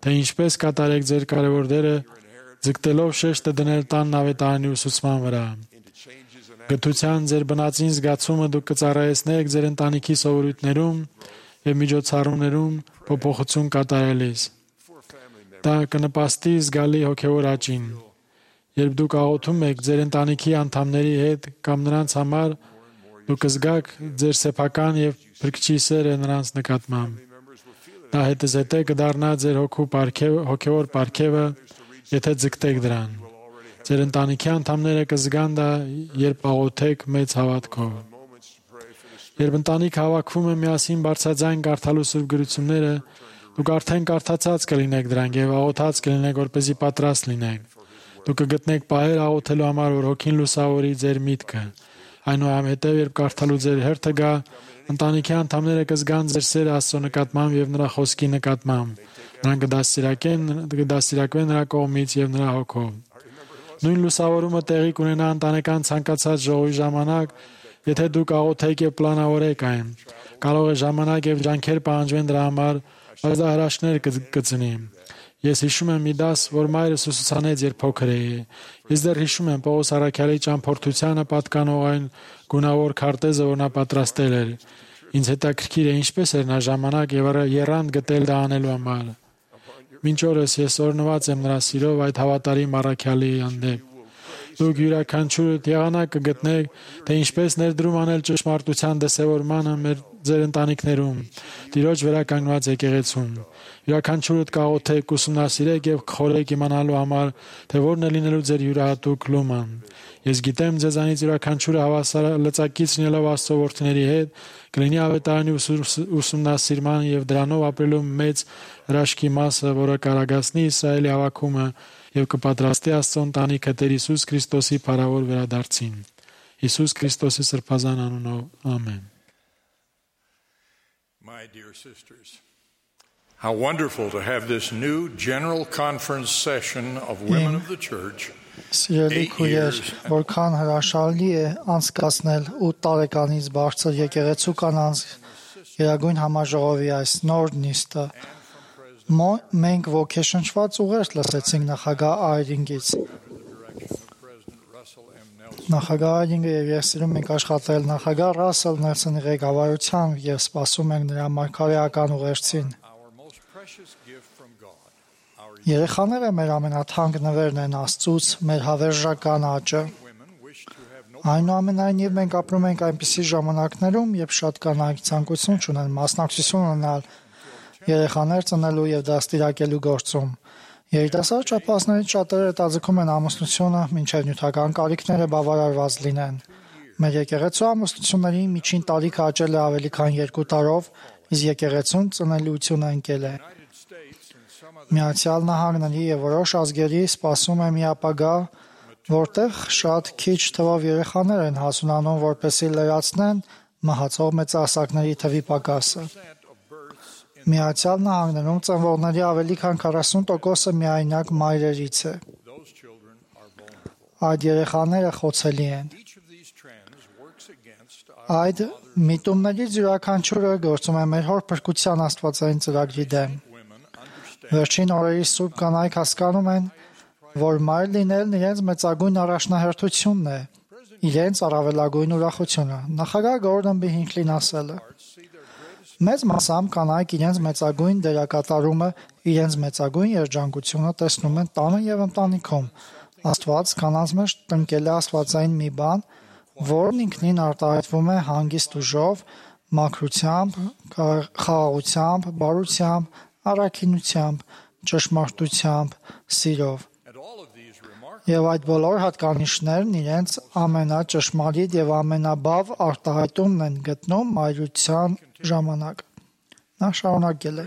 թե ինչպես կատարեք ձեր կարևոր դերը, ձգտելով շեշտը դնել տան նավետարանի ուսուցման վրա։ Գթության ձեր բնածին զգացումը դուք կծառայեցնեք ձեր ընտանիքի սովորույթներում եւ միջոցառումներում փոփոխություն կատարելիս։ Դա կնպաստի զգալի հոգևոր աճին։ Երբ դուք աղոթում եք ձեր ընտանիքի անդամների հետ կամ նրանց համար, դուք կզգաք ձեր սեփական եւ Փրկչի սերը նրանց նկատմամբ։ Դա հետզհետե կդառնա ձեր հոգու պարգևը, հոգևոր պարգևը, եթե ձգտեք դրան։ Ձեր ընտանիքի անդամները կզգան դա, երբ աղոթեք մեծ հավատքով։ Երբ ընտանիք հավաքվում է միասին բարձրաձայն կարդալու սուրբ գրությունները, դուք արդեն կարդացած կլինեք դրանք եւ աղոթած կլինեք, որպեսզի պատրաստ լինեք։ Դուք կգտնեք պահեր աղոթելու համար, որ հոգին լուսավորի ձեր միտքը։ Այնուհետև, երբ կարդալու ձեր հերթը գա, ընտանիքի անդամները կզգան ձեր սերը Աստծո նկատմամբ եւ նրա խոսքի նկատմամբ։ Նրանք կդաստիարակեն, կդաստիարակվեն նրա կողմից եւ նրա հոգով։ Նույն լուսավորումը տեղի կունենա ընտանեկան ցանկացած ժողովի ժամանակ, եթե դուք աղոթեք եւ պլանավորեք այն։ Կարող է ժամանակ եւ ջանքեր պահանջվեն դրա համար, բայց դա հրաշքներ կծնի։ Ես հիշում եմ մի դաս, որ մայրս ուսուցանեց, երբ փոքր էի։ Ես դեռ հիշում եմ Պողոս առաքյալի ճամփորդությանը պատկանող այն գունավոր քարտեզը, որ նա պատրաստել էր։ Ինձ հետաքրքիր է ինչպես էր նա ժամանակ եւ եռանդ գտել դա անելու համար։ Մինչ օրս ես օրհնված եմ նրա սիրով այդ հավատարիմ առաքյալի հանդեպ։ Դուք յուրաքանչյուրդ եղանակ կգտնեք, թե ինչպես ներդրում անել ճշմարտության դրսևորմանը մեր ձեր ընտանիքներում, Տիրոջ վերականգնված եկեղեցում։ Յուրաքանչյուրդ կաղոթեք, ուսումնասիրեք եւ խորհեք իմանալու համար, թե որն է լինելու ձեր յուրահատուկ լուման։ Ես գիտեմ ձեզանից յուրաքանչյուրը հավասար լծակից լինելով Աստծո որդիների հետ, կլինի ավետարանի ուսումնասիրման եւ դրանով ապրելու մեծ հրաշքի մասը, որը կարագացնի Իսրայելի հավաքումը եւ կպատրաստի Աստծո ընտանիքը Տեր Հիսուս Քրիստոսի փառավոր վերադարձին։ Հիսուս Քրիստոսի սրբազան անունով, ամեն։ My dear sisters, how wonderful to have this new general conference session of women of the church. Սիրելի քույր, որքան հրաշալի է անցկացնել ութ տարեկանից բարձր եկեղեցու կանանց Գերագույն համաժողովի այս նոր նիստը։ Մենք ոգեշնչված ուղերձ լսեցինք նախագահ Այրինգից։ Նախագահ Այրինգը եւ ես սիրում ենք աշխատել նախագահ Ռասել Նելսոնի ղեկավարությամբ եւ սպասում ենք նրա մարգարեական ուղերձին։ Երեխաները մեր ամենաթանկ նվերն են Աստծուց, մեր հավերժական աճը։ Այնուամենայնիվ մենք ապրում ենք այնպիսի ժամանակներում, երբ շատ կանայք ցանկություն չունեն մասնակցություն ունենալ երեխաներ ծնելու եւ դաստիարակելու գործում։ Երիտասարդ չափածներից շատերը հետաձգում են ամուսնությունը, մինչև նյութական կարիքները բավարարված լինեն։ Մեր եկեղեցու ամուսնությունների միջին տարիքը աճել է ավելի քան երկու տարով, իսկ եկեղեցուն ծնելիությունը ընկել է։ Միացյալ Նահանգների եւ որոշ ազգերի սպասում է մի ապագա, որտեղ շատ քիչ թվով երեխաներ են հասունանում, որպեսզի լրացնեն մահացող մեծահասակների թվի պակասը։ Միացյալ Նահանգներում ծնվողների ավելի քան քառասուն տոկոսը միայնակ մայրերից է։ Այդ երեխաները խոցելի են։ Այդ միտումներից յուրաքանչյուրը գործում է մեր հոր փրկության աստվածային ծրագրի դեմ։ Վերջին օրերի սուրբ կանայք հասկանում են, որ մայր լինելն իրենց մեծագույն առաջնահերթությունն է, իրենց առավելագույն ուրախությունը։ Նախագահ Գորդոն B. Հինքլին ասել է. Մեծ մասամբ կանայք իրենց մեծագույն դերակատարումը, իրենց մեծագույն երջանկությունը տեսնում են տանը եւ ընտանիքում։ Աստված կանանց մեջ տնկել է աստվածային մի բան, որն ինքնին արտահայտվում է հանգիստ ուժով, մաքրությամբ, խաղաղությամբ, բարությամբ, առաքինությամբ, ճշմարտությամբ, սիրով։ Եվ այդ բոլոր հատկանիշներն իրենց ամենաճշմարիտ եւ ամենաբավ արտահայտումն են գտնում մայրության ժամանակ։ Նա շարունակել է.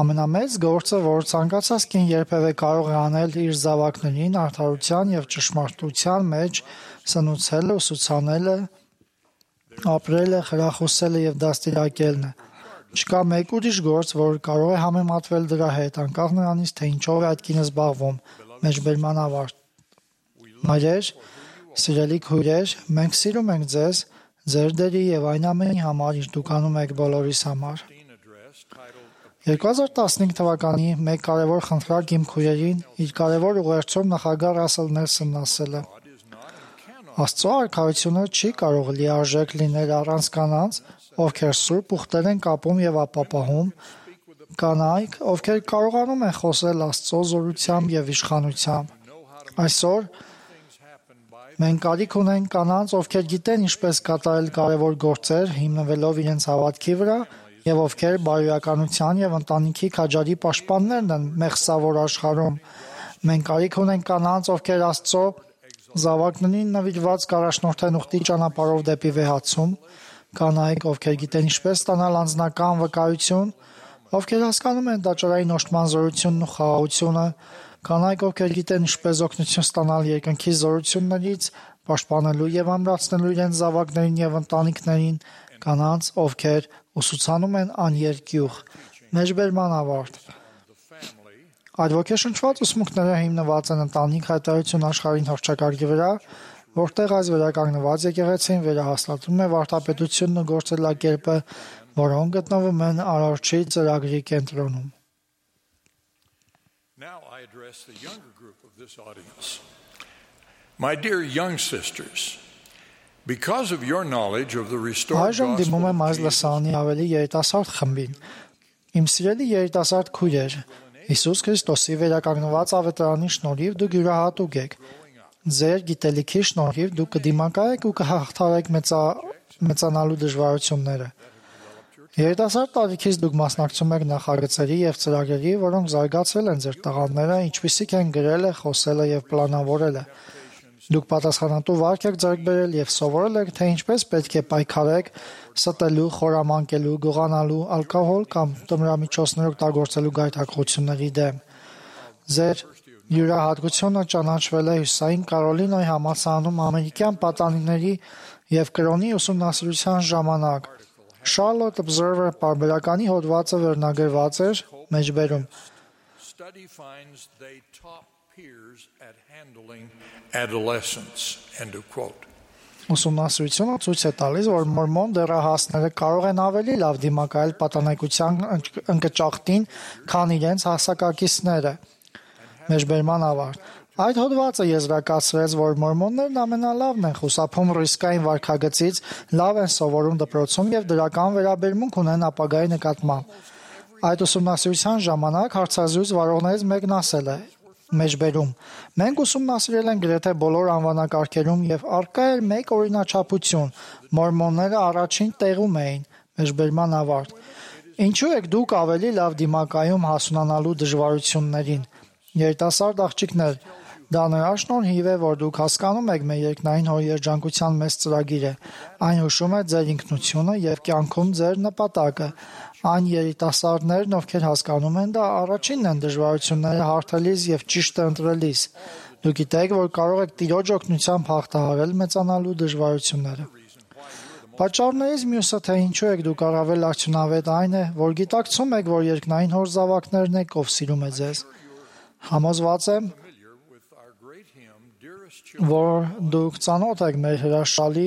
Ամենամեծ գործը, որ ցանկացած կին երբևէ կարող է անել իր զավակներին արդարության եւ ճշմարտության մեջ սնուցելը, ուսուցանելը, ապրելը, խրախուսելը եւ դաստիարակելն է։ Չկա մեկ ուրիշ գործ, որ կարող է համեմատվել դրա հետ, անկախ նրանից, թե ինչով է այդ կինը զբաղվում։ Մեջբերման ավարտ։ Մայրեր, սիրելի քույրեր, մենք սիրում ենք ձեզ, ձեր դերի եւ այն ամենի համար, ինչ դուք անում եք բոլորիս համար։ երկու հազար տասնհինգ թվականի մեկ կարևոր խնդրակ իմ քույրերին իր կարևոր ուղերձում նախագահ Ռասել Նելսոնն ասել է. Աստծո արքայությունը չի կարող լիարժեք լինել առանց կանանց, ովքեր սուրբ ուխտեր են կապում եւ ապապահում, կանայք, ովքեր կարողանում են խոսել Աստծո զորությամբ եւ իշխանությամբ։ Այսօր մենք կարիք ունենք կանանց, ովքեր գիտեն ինչպես կատարել կարևոր գործեր, հիմնվելով իրենց հավատքի վրա, եւ ովքեր բարոյականության եւ ընտանիքի քաջարի պաշտպաններն են մեղսավոր աշխարհում։ Մենք կարիք ունենք կանանց, ովքեր Աստծո զավակներին նվիրված կառաջնորդեն ուխտի ճանապարհով դեպի վեհացում, կանայք, ովքեր գիտեն ինչպես ստանալ անձնական վկայություն, ովքեր հասկանում են տաճարային օժտման զորությունն ու խաղաղությունը, կանայք, ովքեր գիտեն ինչպես օգնություն ստանալ երկնքի զորություններից, պաշտպանելու եւ ամրացնելու իրենց զավակներին եւ ընտանիքներին, կանանց, ովքեր ուսուցանում են աներկյուղ։ Մեջբերման ավարտ։ Այդ ոգեշնչված ուսմունքները հիմնված են ընտանիք հայտարարություն աշխարհին հռչակարգի վրա, որտեղ այս վերականգնված եկեղեցին վերահաստատում է վարդապետությունն ու գործելակերպը, որոնք գտնվում են Արարչի ծրագրի կենտրոնում։ Now I address the younger group of this audience. My dear young sisters, because of your knowledge of the restored Այժմ դիմում եմ այս gospel լսանի ավելի երիտասարդ խմբին։ Իմ սիրելի երիտասարդ քույրեր, Հիսուս Քրիստոսի վերականգնված ավետարանի շնորհիվ դուք յուրահատուկ եք։ Ձեր գիտելիքի շնորհիվ դուք կդիմակայեք ու կհաղթարեք մեծա մեծանալու դժվարությունները։ Երիտասարդ տարիքից դուք մասնակցում եք նախագծերի եւ ծրագրերի, որոնք զարգացրել են ձեր տաղանդները, ինչպիսիք են գրելը, խոսելը եւ պլանավորելը։ Դուք պատասխանատու վարք եք ձեռք բերել եւ սովորել եք, թե ինչպես պետք է պայքարեք ստելու, խորամանկելու, գողանալու, ալկոհոլ կամ տմրամիջոցներ օգտագործելու գայթակղությունների դեմ։ Ձեր յուրահատկությունը ճանաչվել է Հյուսային Կարոլինայի համալսարանում ամերիկյան պատանիների եւ կրոնի ուսումնասիրության ժամանակ։ Charlotte Observer պարբերականի հոդվածը վերնագրված էր մեջբերում. study finds they top peers at handling adolescence. End of quote. Ուսումնասիրությունը ցույց է տալիս, որ մորմոն դեռահասները կարող են ավելի լավ դիմակայել պատանեկության ընկճախտին, քան իրենց հասակակիցները։ Մեջբերման ավարտ։ Այդ հոդվածը եզրակացրեց, որ մորմոններն ամենալավն են խուսափում ռիսկային վարքագծից, լավ են սովորում դպրոցում եւ դրական վերաբերմունք ունեն ապագայի նկատմամբ։ Այդ ուսումնասիրության ժամանակ հարցազրույց վարողներից մեկն ասել է. Մեջբերում. Մենք ուսումնասիրել ենք գրեթե բոլոր անվանակարգերում եւ արկա էր մեկ օրինաչափություն. մորմոնները առաջին տեղում էին։ Մեջբերման ավարտ։ Ինչու եք դուք ավելի լավ դիմակայում հասունանալու դժվարություններին։ Երիտասարդ աղջիկներ, դա նրա շնորհիվ է, որ դուք հասկանում եք մեր երկնային հոր երջանկության մեծ ծրագիրը։ Այն հուշում է ձեր ինքնությունը եւ կյանքում ձեր նպատակը։ Այն երիտասարդներն, ովքեր հասկանում են դա, առաջինն են դժվարությունները հարթելիս եւ ճիշտը ընտրելիս։ Դուք գիտեք, որ կարող եք Տիրոջ օգնությամբ հաղթահարել մեծանալու դժվարությունները։ Պատճառներից մյուսը, թե ինչու եք դուք առավել արդյունավետ, այն է, որ գիտակցում եք, որ երկնային հոր զավակներն եք, ով սիրում է ձեզ։ Համոզված եմ, որ դուք ծանոթ եք մեր հրաշալի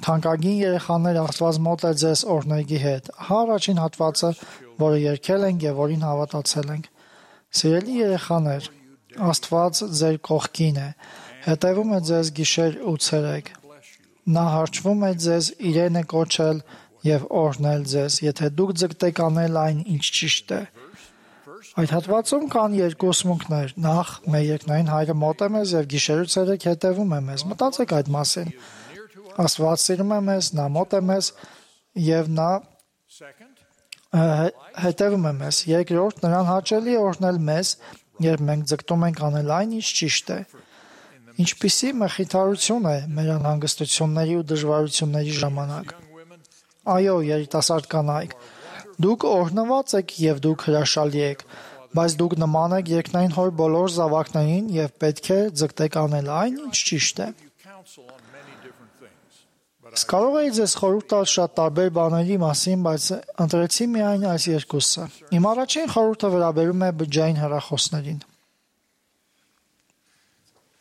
թանկագին երեխաներ Աստված մոտ է ձեզ օրհներգի հետ։ Հա առաջին հատվածը, որը երգել ենք եւ որին հավատացել ենք։ Սիրելի երեխաներ, Աստված ձեր կողքին է, հետևում է ձեզ գիշեր ու ցերեկ։ Նա հարճվում է ձեզ, իրեն է կոչել եւ օրհնել ձեզ, եթե դուք ձգտեք անել այն, ինչ ճիշտ է։ Այդ հատվածում կան երկու ուսմունքներ։ Նախ, մեր երկնային Հայրը մոտ է մեզ եւ գիշերու ցերեկ հետևում է մեզ։ Մտածեք այդ մասին։ Աստված սիրում է մեզ, նա մոտ է մեզ եւ նա հետևում է մեզ։ Երկրորդ, նրան հաճելի է օրհնել մեզ, երբ մենք ձգտում ենք անել այն, ինչ ճիշտ է։ Ինչպիսի մխիթարություն է մեր անհանգստությունների ու դժվարությունների ժամանակ։ Այո, երիտասարդ կանայք, դուք օրհնված եք եւ դուք հրաշալի եք, բայց դուք նման եք երկնային հոր բոլոր զավակներին եւ պետք է ձգտեք անել այն, ինչ ճիշտ է։ Իսկ կարող էի ձեզ խորհուրդ տալ շատ տարբեր բաների մասին, բայց ընտրեցի միայն այս երկուսը։ Իմ առաջին խորհուրդը վերաբերում է բջջային հեռախոսներին։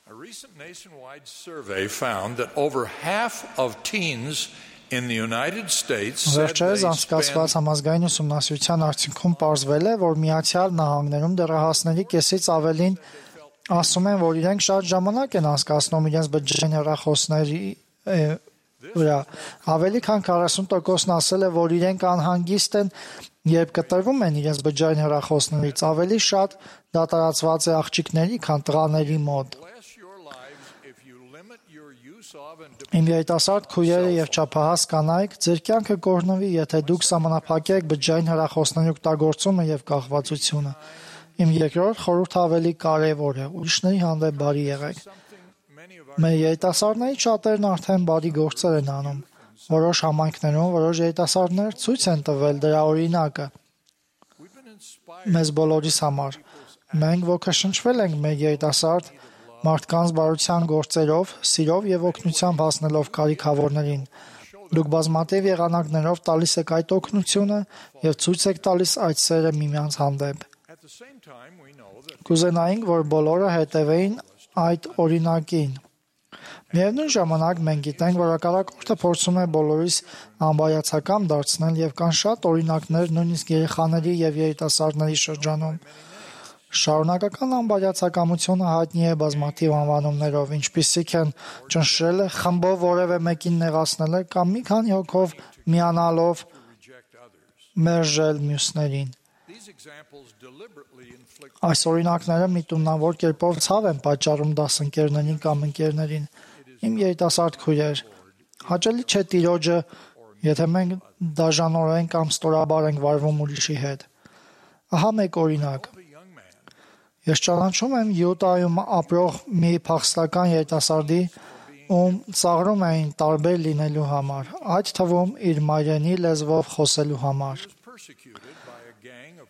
A recent nationwide survey found that over half of teens in the United States said Վերջերս they անցկացված spend համազգային ուսումնասիրության արդյունքում պարզվել է, որ Միացյալ Նահանգներում դեռահասների կեսից ավելին ասում են, որ իրենք շատ ժամանակ են անցկացնում իրենց բջջային հեռախոսների վրա։ Ավելի քան քառասուն տոկոսն ասել է, որ իրենք անհանգիստ են, երբ կտրվում են իրենց բջջային հեռախոսներից, ավելի շատ դա տարածված է աղջիկների, քան տղաների մոտ։ Իմ երիտասարդ քույրերը եւ չափահաս կանայք, ձեր կյանքը կօրհնվի, եթե դուք սահմանափակեք բջջային հեռախոսների օգտագործումը եւ կախվածությունը։ Իմ երկրորդ խորհուրդը ավելի կարեւոր է՝ ուրիշների հանդեպ բարի եղեք։ Մեր երիտասարդների շատերն արդեն բարի գործեր են անում։ Որոշ համայնքներում որոշ երիտասարդներ ցույց են տվել դրա օրինակը։ Մեզ բոլորիս համար։ Մենք ոգեշնչվել ենք մեր երիտասարդ մարդկանց բարության գործերով, սիրով եւ օգնությամբ հասնելով կարիքավորներին։ Դուք բազմաթիվ եղանակներով տալիս եք այդ օգնությունը եւ ցույց եք տալիս այդ սերը միմյանց հանդեպ։ Կուզենայինք, որ բոլորը հետևեին այդ օրինակին։ Միևնույն ժամանակ մենք գիտենք, որ հակառակորդը փորձում է բոլորիս անբայացակամ դարձնել եւ կան շատ օրինակներ նույնիսկ երեխաների եւ երիտասարդների շրջանում։ Շարունակական անբայացակամությունը հայտնի է բազմաթիվ անվանումներով, ինչպիսիք են ճնշելը, խմբով որևէ մեկին նեղացնելը կամ մի քանի հոգով միանալով մերժել մյուսներին։ Այս օրինակները միտումնավոր կերպով ցավ են պատճառում դասընկերներին կամ ընկերներին։ Իմ երիտասարդ քույրեր, հաճելի չէ Տիրոջը, եթե մենք դաժանորեն կամ ստորաբար ենք վարվում ուրիշի հետ։ Ահա մեկ օրինակ։ Ես ճանաչում եմ Յուտայում ապրող մի փախստական երիտասարդի, ում ծաղրում էին տարբեր լինելու համար, այդ թվում իր մայրենի լեզվով խոսելու համար։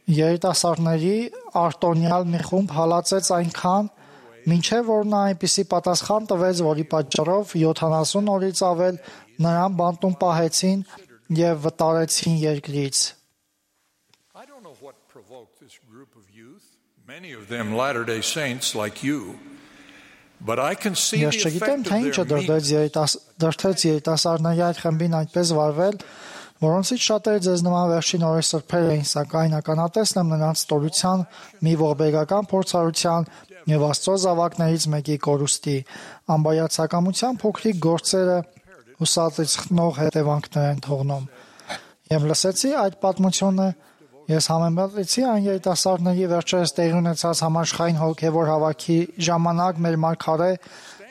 Երիտասարդների արտոնյալ մի խումբ հալածեց այնքան, մինչև որ նա այնպիսի պատասխան տվեց, որի պատճառով յոթանասուն օրից ավել նրան բանտում պահեցին եւ վտարեցին երկրից։ Many of them Latter-day Saints like you. But I can see the Ես չգիտեմ, effect թե of ինչը their meekness. դրդեց երիտասարդների այդ խմբին այդպես վարվել, որոնցից շատերը ձեզ նման վերջին օրեր սրբել էին, սակայն ականատեսն եմ նրանց ստորության, մի ողբերգական փորձառության եւ Աստծո զավակներից մեկի կորուստի, անբայացակամության փոքրիկ գործերը հուսածիցնող հետևանքներ են թողնում։ Եվ լսեցի այդ պատմությունը, ես համեմատեցի այն երիտասարդների վերջերս տեղի ունեցած համաշխարհային հոգևոր հավաքի ժամանակ մեր մարգարե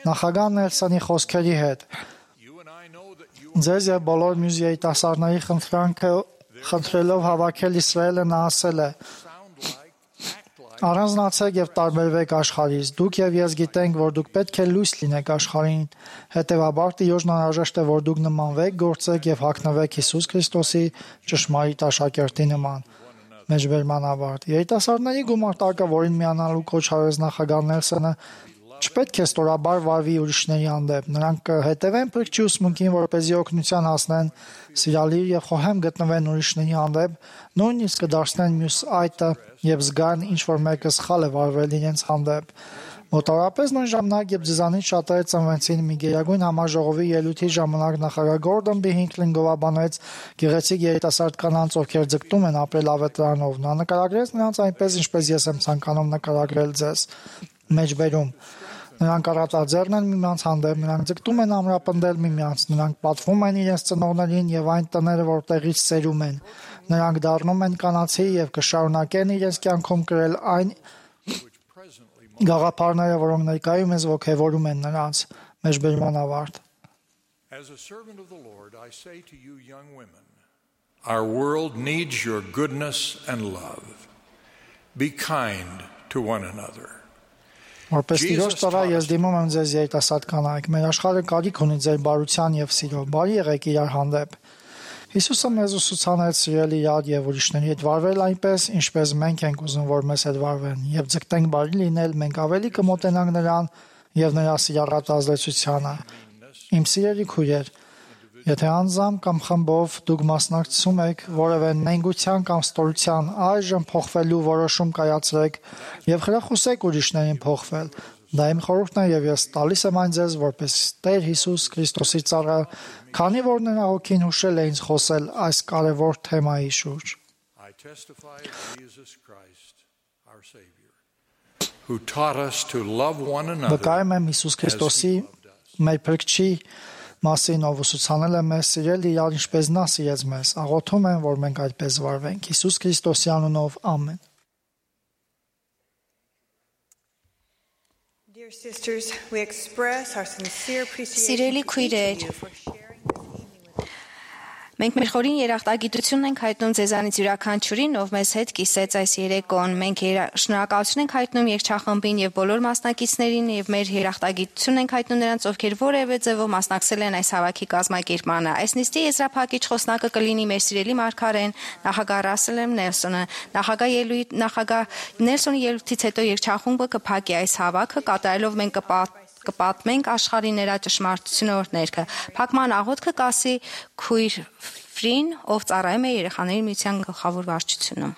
նախագահ Նելսոնի խոսքերի հետ։ Ձեզ եւ բոլոր մյուս երիտասարդների խնդրանքը խնդրելով հավաքել Իսրայելը նա ասել է. Առանձնացեք եւ տարբերվեք աշխարհից։ Դուք եւ ես գիտենք, որ դուք պետք է լույս լինեք աշխարհին։ Հետևաբար Տիրոջն անհրաժեշտ է, որ դուք նմանվեք, գործեք եւ հագնվեք Հիսուս Քրիստոսի ճշմարիտ աշակերտի նման։ Մեջբերման ավարտ։ Երիտասարդների գումարտակը, որին միանալու կոչ արեց նախագահ Նելսոնը, չպետք է ստորաբար վարվի ուրիշների հանդեպ։ Նրանք կհետևեն փրկչի ուսմունքին, որպեսզի օգնության հասնեն, սիրալիր եւ խոհեմ գտնվեն ուրիշների հանդեպ, նույնիսկ կդարձնեն մյուս այտը եւ զգան ինչ որ մեկը սխալ է վարվել իրենց հանդեպ։ Մոտավորապես նույն ժամանակ, երբ ձեզանից շատերը ծնվեցին, մի գերագույն համաժողովի ելույթի ժամանակ նախագահ Գորդոն B. Հինքլին գովաբանեց գեղեցիկ երիտասարդ կանանց, ովքեր ձգտում են ապրել ավետարանով։ Նա նկարագրեց նրանց այնպես, ինչպես ես եմ ցանկանում նկարագրել ձեզ։ Մեջբերում նրանք առատաձեռն են միմյանց հանդեպ, նրանք ձգտում են ամրապնդել միմյանց, նրանք պատվում են իրենց ծնողներին եւ այն տները, որտեղից սերում են։ Նրանք դառնում են կանացի եւ կշարունակեն իրենց կյանքում կրել այն գաղափարները, որոնք ներկայում ես ոգևորում են նրանց։ Մեջբերման ավարտ։ As a servant of the Lord, I say to you young women, our world needs your goodness and love. Be kind to one another. Որպես Տիրոջ ծառա ես դիմում եմ ձեզ երիտասարդ կանայք, մեր աշխարհը կարիք ունի ձեր բարության եւ սիրո, բարի եղեք իրար հանդեպ։ Հիսուսը մեզ ուսուցանեց սիրել իրար եւ ուրիշների հետ վարվել այնպես, ինչպես մենք ենք ուզում, որ մեզ հետ վարվեն, եւ ձգտենք բարի լինել, մենք ավելի կմոտենանք նրան եւ նրա սիրառատ ազդեցությանը։ Իմ սիրելի քույրեր, եթե անձամբ կամ խմբով դուք մասնակցում եք որևէ նենգության կամ ստորության, այժմ փոխվելու որոշում կայացրեք եւ խրախուսեք ուրիշներին փոխվել։ Դա իմ խորհուրդն է եւ ես տալիս եմ այն ձեզ որպես Տեր Հիսուս Քրիստոսի ծառա, քանի որ նրա հոգին հուշել է ինձ խոսել այս կարևոր թեմայի շուրջ։ I testify of Jesus Christ, our Savior, who taught us to love one another. Վկայում եմ Հիսուս Քրիստոսի մեր փրկչի մասին, ով ուսուցանել է մեզ սիրել իրար, ինչպես նա սիրեց մեզ։ Աղոթում եմ, որ մենք այդպես վարվենք։ Հիսուս Քրիստոսի անունով, ամեն։ Dear sisters, we express our sincere appreciation Սիրելի քույրեր, մենք մեր խորին երախտագիտություն ենք հայտնում ձեզանից յուրաքանչյուրին, ով մեզ հետ կիսեց այս երեկոն։ Մենք շնորհակալություն ենք հայտնում երգչախմբին եւ բոլոր մասնակիցներին եւ մեր երախտագիտություն ենք հայտնում նրանց, ովքեր որևէ ձևով մասնակցել են այս հավաքի կազմակերպմանը։ Այս նիստի եզրափակիչ խոսնակը կլինի մեր սիրելի մարգարեն նախագահ Ռասել M. Նելսոնը։ Նախագահ ելույթ նախագահ Նելսոնի ելույթից հետո երգչախումբը կփակի այս հավաքը, կատարելով մենք կպատ կպատմենք աշխարհի նրա ճշմարտությունը օրհներքը։ Փակման աղոթքը կասի քույր Ֆրին, ով ծառայում է երեխաների միության գլխավոր վարչությունում։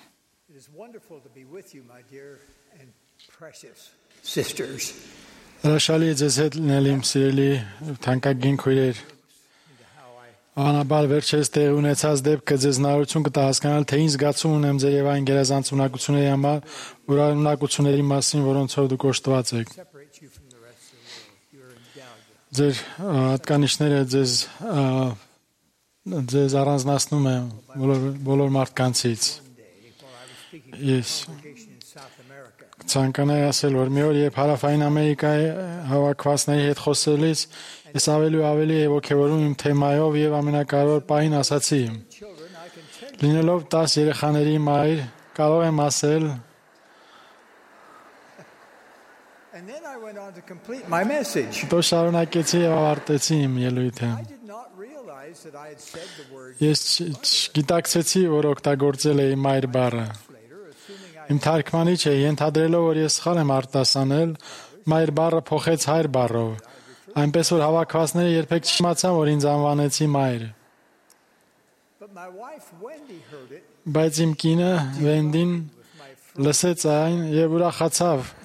Հրաշալի է ձեզ հետ լինել իմ սիրելի թանկագին քույրեր։ Անաբար վերջերս տեղ ունեցած դեպքը ձեզ հնարավորություն կտա հասկանալ, թե ինչ զգացում ունեմ ձեր եւ այն գերազանց ունակությունների համար, ունակությունների մասին, որոնցով դուք օժտված եք։ Ձեր հատկանիշները ձեզ ձեզ առանձնացնում է բոլոր բոլոր մարդկանցից։ Ես ցանկանայի ասել, որ մի օր երբ Հարավային Ամերիկայի հավաքվածների հետ խոսելիս ես ավելի ու ավելի ոգևորում իմ թեմայով եւ ամենակարևոր պահին ասացի. Լինելով տասը երեխաների մայր, կարող եմ ասել Դու շարունակեցի եւ ավարտեցի իմ ելույթը։ Ես գիտակցեցի, որ օգտագործել էի մայր բառը։ Իմ թարգմանիչը ենթադրելով, որ ես սխալ եմ արտասանել, մայր բառը փոխեց հայր բառով, այնպես որ հավաքվածները երբեք չիմացան, որ ինձ անվանեցի մայր։ Բայց իմ կինը Վենդին լսեց այն եւ ուրախացավ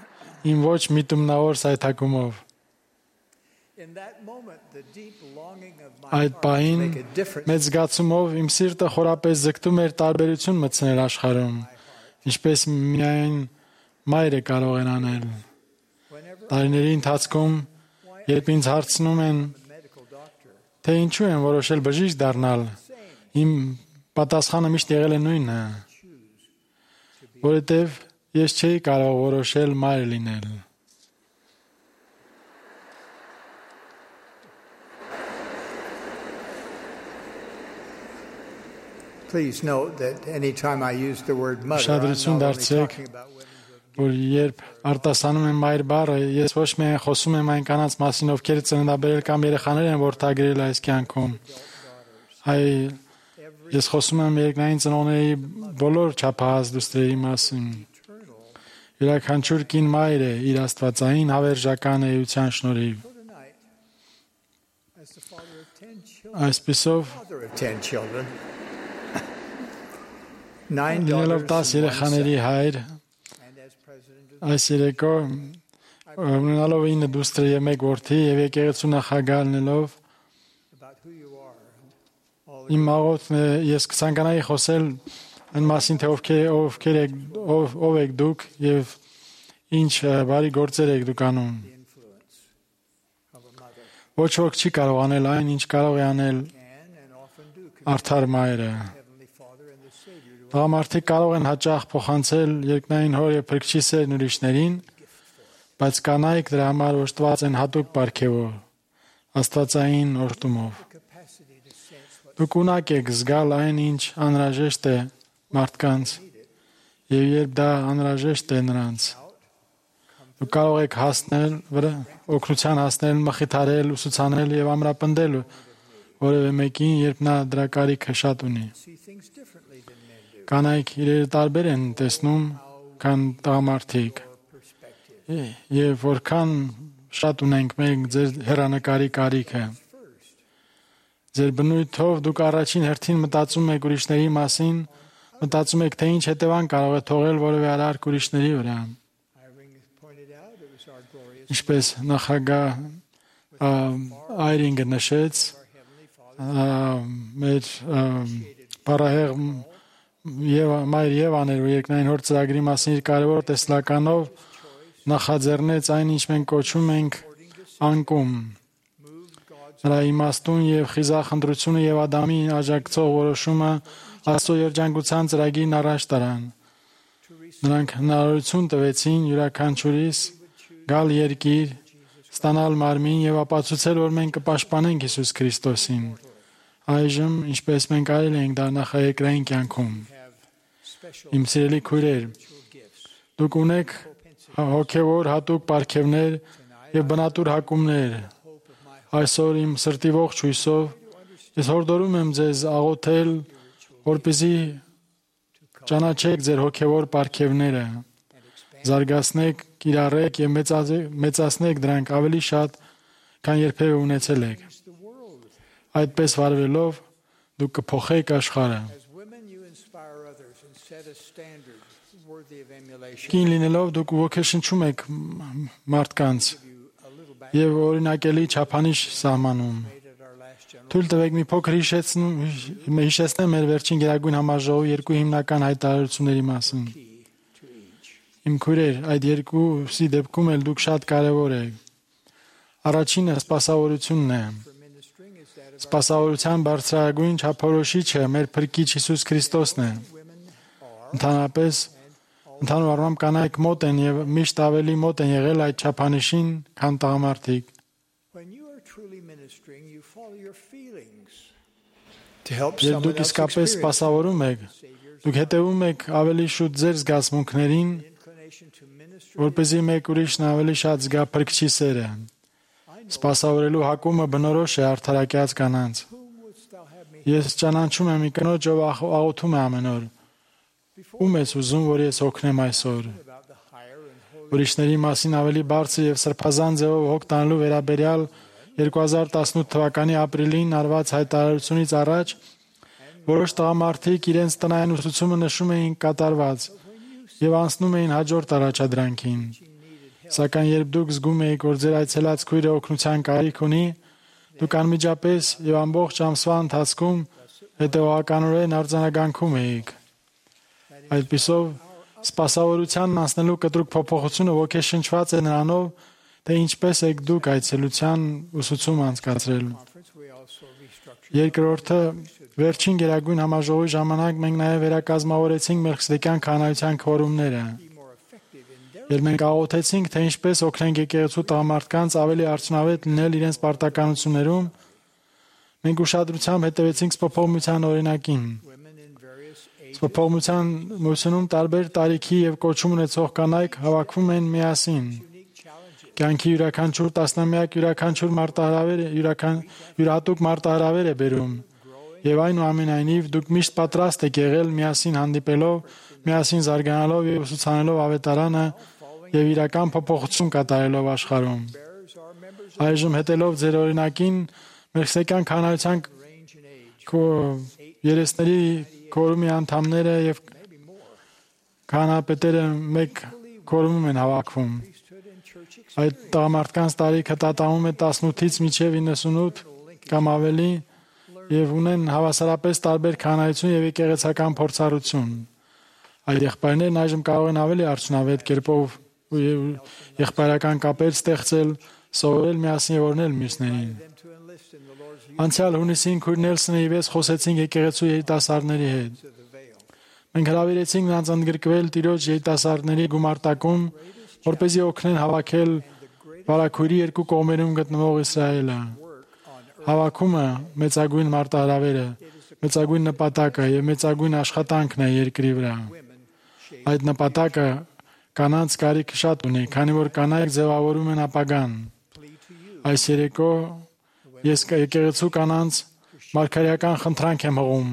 իմ ոչ միտումնավոր սայթակումով։ Այդ պահին մեծ զգացումով իմ սիրտը խորապես ձգտում էր տարբերություն մտցնել աշխարհում, ինչպես միայն մայրը կարող է անել։ Տարիների ընթացքում, երբ ինձ հարցնում են, թե ինչու եմ որոշել բժիշկ դառնալ, իմ պատասխանը միշտ եղել է նույնը, որովհետև ես չէի կարող որոշել մայր լինել։ Please note that anytime I use the word mother, Շադրություն դարձրեք, որ երբ արտասանում եմ մայր բառը, ես ոչ միայն խոսում եմ այն կանանց մասին, ովքեր ծննդաբերել կամ երեխաներ են որդագրել այս կյանքում, այլ ես խոսում եմ երկնային ծնողների բոլոր չափահաս դուստրերի մասին։ Յուրաքանչյուր կին մայր է իր աստվածային հավերժական էության շնորհիվ։ Այսպիսով Լինելով տաս երեխաների հայր, այս երեկո ունենալով ինը դուստր և մեկ որդի և եկեղեցու նախագահ լինելով, իմ աղոթն է, ես կցանկանայի խոսել այն մասին, թե ովքեր, ովքեր եք, ով, ով եք դուք և ինչ բարի գործեր եք դուք անում։ Ոչ ոք չի կարող անել այն, ինչ կարող է անել արդար մայրը։ Տղամարդիկ կարող են հաճախ փոխանցել երկնային հոր և փրկչի սերն ուրիշներին, բայց կանայք դրա համար օժտված են հատուկ պարգևով, աստվածային օրհնումով։ Դուք ունակ եք զգալ այն, ինչ անհրաժեշտ է մարդկանց, և երբ դա անհրաժեշտ է նրանց, դուք կարող եք հասնել, օգնության հասնել, մխիթարել, ուսուցանել և ամրապնդել որևէ մեկին, երբ նա դրա կարիքը շատ ունի։ Կանայք իրերը տարբեր են տեսնում, քան տղամարդիկ, և որքան շատ ունենք մենք ձեր հեռանկարի կարիքը։ Ձեր բնույթով դուք առաջին հերթին մտածում եք ուրիշների մասին, մտածում եք, թե ինչ հետևանք կարող է թողել որևէ արարք ուրիշների վրա։ Ինչպես նախագահ Այրինգը նշեց, մեր պարահեղ մայր Եվան էր, որ երկնային հոր ծրագրի մասին իր կարևոր տեսլականով նախաձեռնեց այն, ինչ մենք կոչում ենք անկում։ Նրա իմաստուն և խիզախ ընտրությունը և Ադամի աջակցող որոշումը Աստծո երջանկության ծրագիրն առաջ տարան։ Նրանք հնարավորություն տվեցին յուրաքանչյուրիս գալ երկիր, ստանալ մարմին և ապացուցել, որ մենք կպաշտպանենք Հիսուս Քրիստոսին։ Այժմ, ինչպես մենք արել ենք դա նախաերկրային կյանքում։ Իմ սիրելի քույրեր, դուք ունեք հոգևոր հատուկ պարգևներ և բնատուր հակումներ։ Այսօր իմ սրտի ողջ հույսով ես հորդորում եմ ձեզ աղոթել, որպեսզի ճանաչեք ձեր հոգևոր պարգևները, զարգացնեք, կիրառեք և մեծացնեք դրանք ավելի շատ, քան երբևէ ունեցել եք։ Այդպես վարվելով դուք կփոխեք աշխարհը։ Կին լինելով դուք ոգեշնչում եք մարդկանց և օրինակելի չափանիշ սահմանում։ Թույլ տվեք մի փոքր հիշեցնեմ մեր վերջին գերագույն համաժողովի երկու հիմնական հայտարարությունների մասին։ Իմ քույրեր, այդ երկուսի դեպքում էլ դուք շատ կարևոր եք։ Առաջինը սպասավորությունն է։ Սպասավորության բարձրագույն չափորոշիչը մեր Փրկիչ Հիսուս Քրիստոսն է։ Ընդհանրապես, ընդհանուր առմամբ կանայք մոտ են և միշտ ավելի մոտ են եղել այդ չափանիշին, քան տղամարդիկ։ Երբ դուք իսկապես սպասավորում եք, դուք հետևում եք ավելի շուտ ձեր զգացմունքներին, որպեսզի մեկ ուրիշն ավելի շատ զգա Փրկչի սերը։ Սպասավորելու հակումը բնորոշ է արդարակյաց կանանց։ Ես ճանաչում եմ մի կնոջ, ով աղոթում է ամեն օր։ Ում ես ուզում, որ ես օգնեմ այսօր։ Ուրիշների մասին ավելի բարձր և սրբազան ձևով հոգ տանելու վերաբերյալ երկու հազար տասնութ թվականի ապրիլին արված հայտարարությունից առաջ որոշ տղամարդիկ իրենց տնային ուսուցումը նշում էին կատարված և անցնում էին հաջորդ առաջադրանքին։ Սակայն երբ դուք զգում եք, որ ձեր այցելած քույրը օգնության կարիք ունի, դուք անմիջապես և ամբողջ ամսվա ընթացքում հետևողականորեն արձանագանքում եք։ Այդպիսով, սպասավորությանն անցնելու կտրուկ փոփոխությունը ոգեշնչված է նրանով, թե ինչպես եք դուք այցելության ուսուցում անցկացրել։ Երկրորդը, վերջին գերագույն համաժողովի ժամանակ մենք նաև վերակազմավորեցինք մեր խստիկյան քահանայության քվորումները։ Երբ մենք աղոթեցինք, թե ինչպես օգնենք եկեղեցու տղամարդկանց ավելի արդյունավետ լինել իրենց պարտականություններում, մենք ուշադրությամբ հետևեցինք սփոփողության օրինակին։ Սփոփողության մուսունում տարբեր տարիքի և կոչում ունեցող կանայք հավաքվում են միասին։ Կյանքի յուրաքանչյուր տասնամյակ յուրաքանչյուր մարտահրավեր յուրահատուկ մարտահրավեր է բերում։ Եվ այնուամենայնիվ դուք միշտ պատրաստ եք եղել միասին հանդիպելով միասին զարգանալով եւ ուսուցանելով ավետարանը եւ իրական փոփոխություն կատարելով աշխարհում։ Այժմ հետելով ձեր օրինակին մեղսեկյան քանայության երեսների կորումի անդամները եւ քահանապետերը մեկ կորումում են հավաքվում։ Այդ տղամարդկանց տարիքը տատանվում է տասնութից մինչև իննսունութ կամ ավելի եւ ունեն հավասարապես տարբեր քահանայություն եւ եկեղեցական փորձառություն։ Այդ եղբայրներն այժմ կարող են ավելի արդյունավետ կերպով եղբայրական կապեր ստեղծել, սովորել միասին եւ օրհնել մյուսներին։ Անցյալ հունիսին քույր Նելսոնը եւ ես խոսեցինք եկեղեցու երիտասարդների հետ։ Մենք հրավիրեցինք նրանց ընդգրկվել Տիրոջ երիտասարդների գումարտակում, որպեսզի օգնեն հավաքել վարակույրի երկու կողմերում գտնվող Իսրայելը։ Հավաքումը մեծագույն մարտահրավերը, մեծագույն նպատակը եւ մեծագույն աշխատանքն է երկրի վրա։ Այդ նպատակը կանանց կարիք շատ ունի, քանի որ կանայք ձևավորում են ապագան։ Այս երեկո ես եկեղեցու կանանց մարգարեական խնդրանք եմ հղում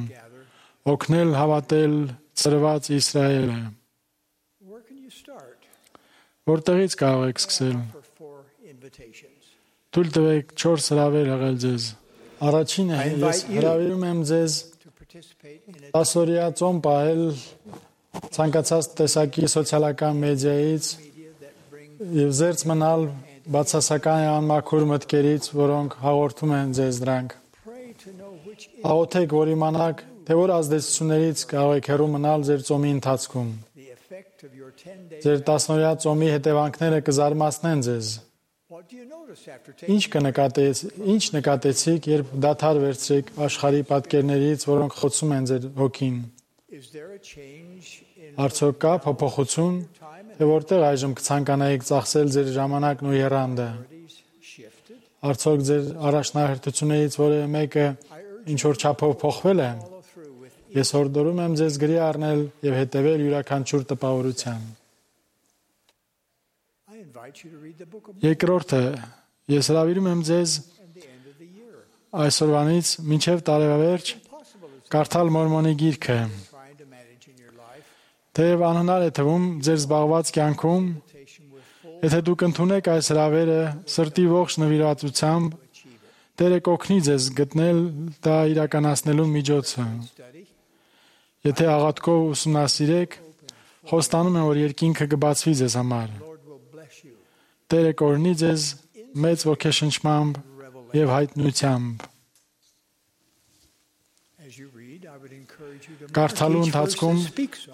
օգնել հավատել ծրված Իսրայելը։ Որտեղից կարող եք սկսել։ Թույլ տվեք չորս հրավեր հղել ձեզ։ Առաջինը ես հրավիրում եմ ձեզ տասօրյա ծոմ պահել ցանկացած տեսակի սոցիալական մեդիայից եւ զերծ մնալ բացասական անմաքուր մտքերից, որոնք հաղորդում են ձեզ դրանք։ Աղոթեք, որ իմանաք, թե որ ազդեցություններից կարող եք հեռու մնալ ձեր ծոմի ընթացքում։ Ձեր տասնօրյա ծոմի հետևանքները կզարմացնեն ձեզ։ Ինչ կնկատեց, ինչ նկատեցիք, երբ դադար վերցրեք աշխարհի պատկերներից, որոնք խոցում են ձեր հոգին։ Արդյոք կա փոփոխություն, թե որտեղ այժմ կցանկանայիք ծախսել ձեր ժամանակն ու եռանդը։ Արդյոք ձեր առաջնահերթություններից որևէ մեկը ինչ որ չափով փոխվել է։ Ես հորդորում եմ ձեզ գրի առնել եւ հետեւել յուրաքանչյուր տպավորության։ Երկրորդը, ես հրավիրում եմ ձեզ այսօրվանից մինչև տարեվերջ կարդալ Մորմոնի գիրքը։ Թեև անհնար է թվում ձեր զբաղված կյանքում, եթե դուք ընդունեք այս հրավերը սրտի ողջ նվիրվածությամբ, Տերը կօգնի ձեզ գտնել դա իրականացնելու միջոցը։ Եթե աղաթքով ուսումնասիրեք, խոստանում եմ, որ երկինքը կբացվի ձեզ համար։ Տերը կօրհնի ձեզ մեծ ոգեշնչմամբ եւ հայտնությամբ։ Կարդալու ընթացքում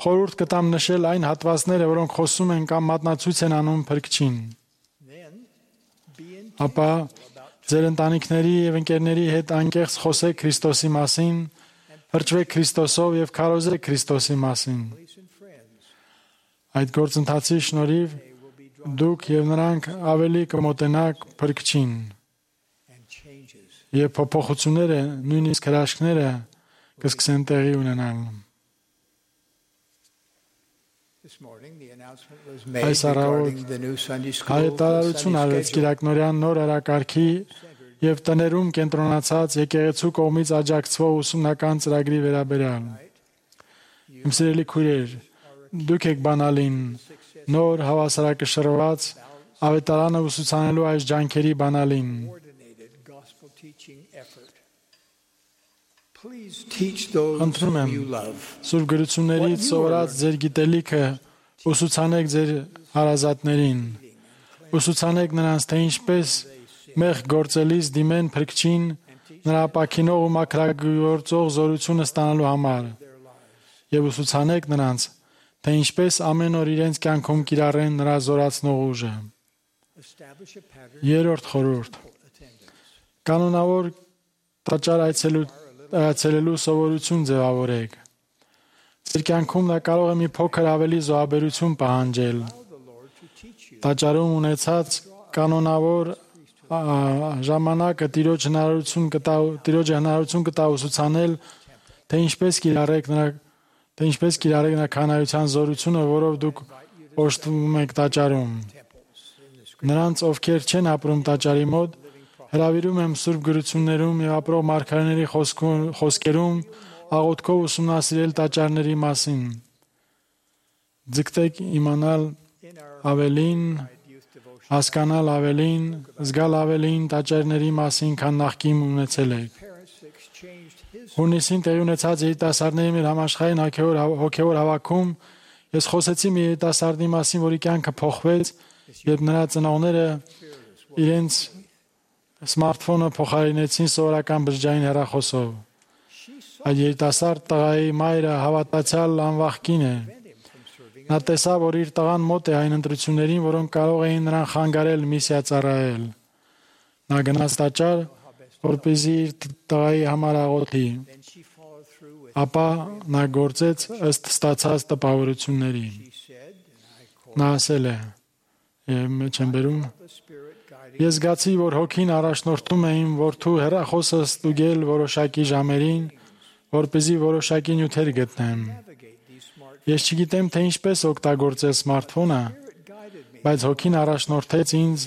խորհուրդ կտամ նշել այն հատվածները, որոնք խոսում են կամ մատնացույց են անում Փրկչին։ Ապա ձեր ընտանիքների եւ ընկերների հետ անկեղծ խոսեք Քրիստոսի մասին, հրճվեք Քրիստոսով եւ քարոզեք Քրիստոսի մասին։ Այդ գործընթացի շնորհիվ դուք եւ նրանք ավելի կմոտենաք Փրկչին։ Եվ փոփոխությունները, նույնիսկ հրաշքները կսկսեն տեղի ունենալ։ Այս առավոտ հայտարարություն արվեց Կիրակնորյան նոր օրակարգի եւ տներում կենտրոնացած եկեղեցու կողմից աջակցվող ուսումնական ծրագրի վերաբերյալ։ Իմ սիրելի քույրեր, դուք եք բանալին նոր հավասարակշռված ավետարանը ուսուցանելու այս ջանքերի բանալին։ Խնդրում եմ, Սուրբ գրություններից սովորած ձեր գիտելիքը ուսուցանեք ձեր հարազատներին, ուսուցանեք նրանց, թե ինչպես մեղք գործելիս դիմեն Փրկչին նրա ապաքինող ու մաքրագործող զորությունը ստանալու համար, եւ ուսուցանեք նրանց, թե ինչպես ամեն օր իրենց կյանքում կիրառեն նրա զորացնող ուժը։ Երրորդ խորհուրդ. կանոնավոր տաճար այցելու այցելելու սովորություն ձևավորեք։ Ձեր կյանքում դա կարող է մի փոքր ավելի զոհաբերություն պահանջել։ Տաճարում ունեցած կանոնավոր ժամանակը Տիրոջ հնարավորություն կտա, Տիրոջը հնարավորություն կտա ուսուցանել, թե ինչպես կիրառեք նրա, թե ինչպես կիրառեք նրա քահանայության զորությունը, որով դուք օժտվում եք տաճարում։ Նրանց, ովքեր չեն ապրում տաճարի մոտ, հրավիրում եմ Սուրբ գրություններում եւ ապրող մարգարեների խոսքերում աղոթքով ուսումնասիրել տաճարների մասին։ Ձգտեք իմանալ ավելին, հասկանալ ավելին, զգալ ավելին տաճարների մասին, քան նախկին ունեցել եք։ Հունիսին տեղի ունեցած երիտասարդների մեր համաշխարհային հոգևոր հավաքում ես խոսեցի մի երիտասարդի մասին, որի կյանքը փոխվեց, երբ նրա ծնողները իրենց սմարթֆոնը փոխարինեցին սովորական բջջային հեռախոսով։ Այդ երիտասարդ տղայի մայրը հավատացյալ անվախ կին է։ Նա տեսավ, որ իր տղան մոտ է այն ընտրություններին, որոնք կարող էին նրան խանգարել միսիա ծառայել։ Նա գնաց տաճար, որպեսզի իր տղայի համար աղոթի։ Ապա նա գործեց ըստ ստացած տպավորությունների։ Նա ասել է, եւ մեջ եմ բերում. Ես զգացի, որ հոգին առաջնորդում է իմ որդու հեռախոսը ստուգել որոշակի ժամերին, որպեսզի որոշակի նյութեր գտնեմ։ Ես չգիտեմ, թե ինչպես օգտագործել սմարթֆոնը, բայց հոգին առաջնորդեց ինձ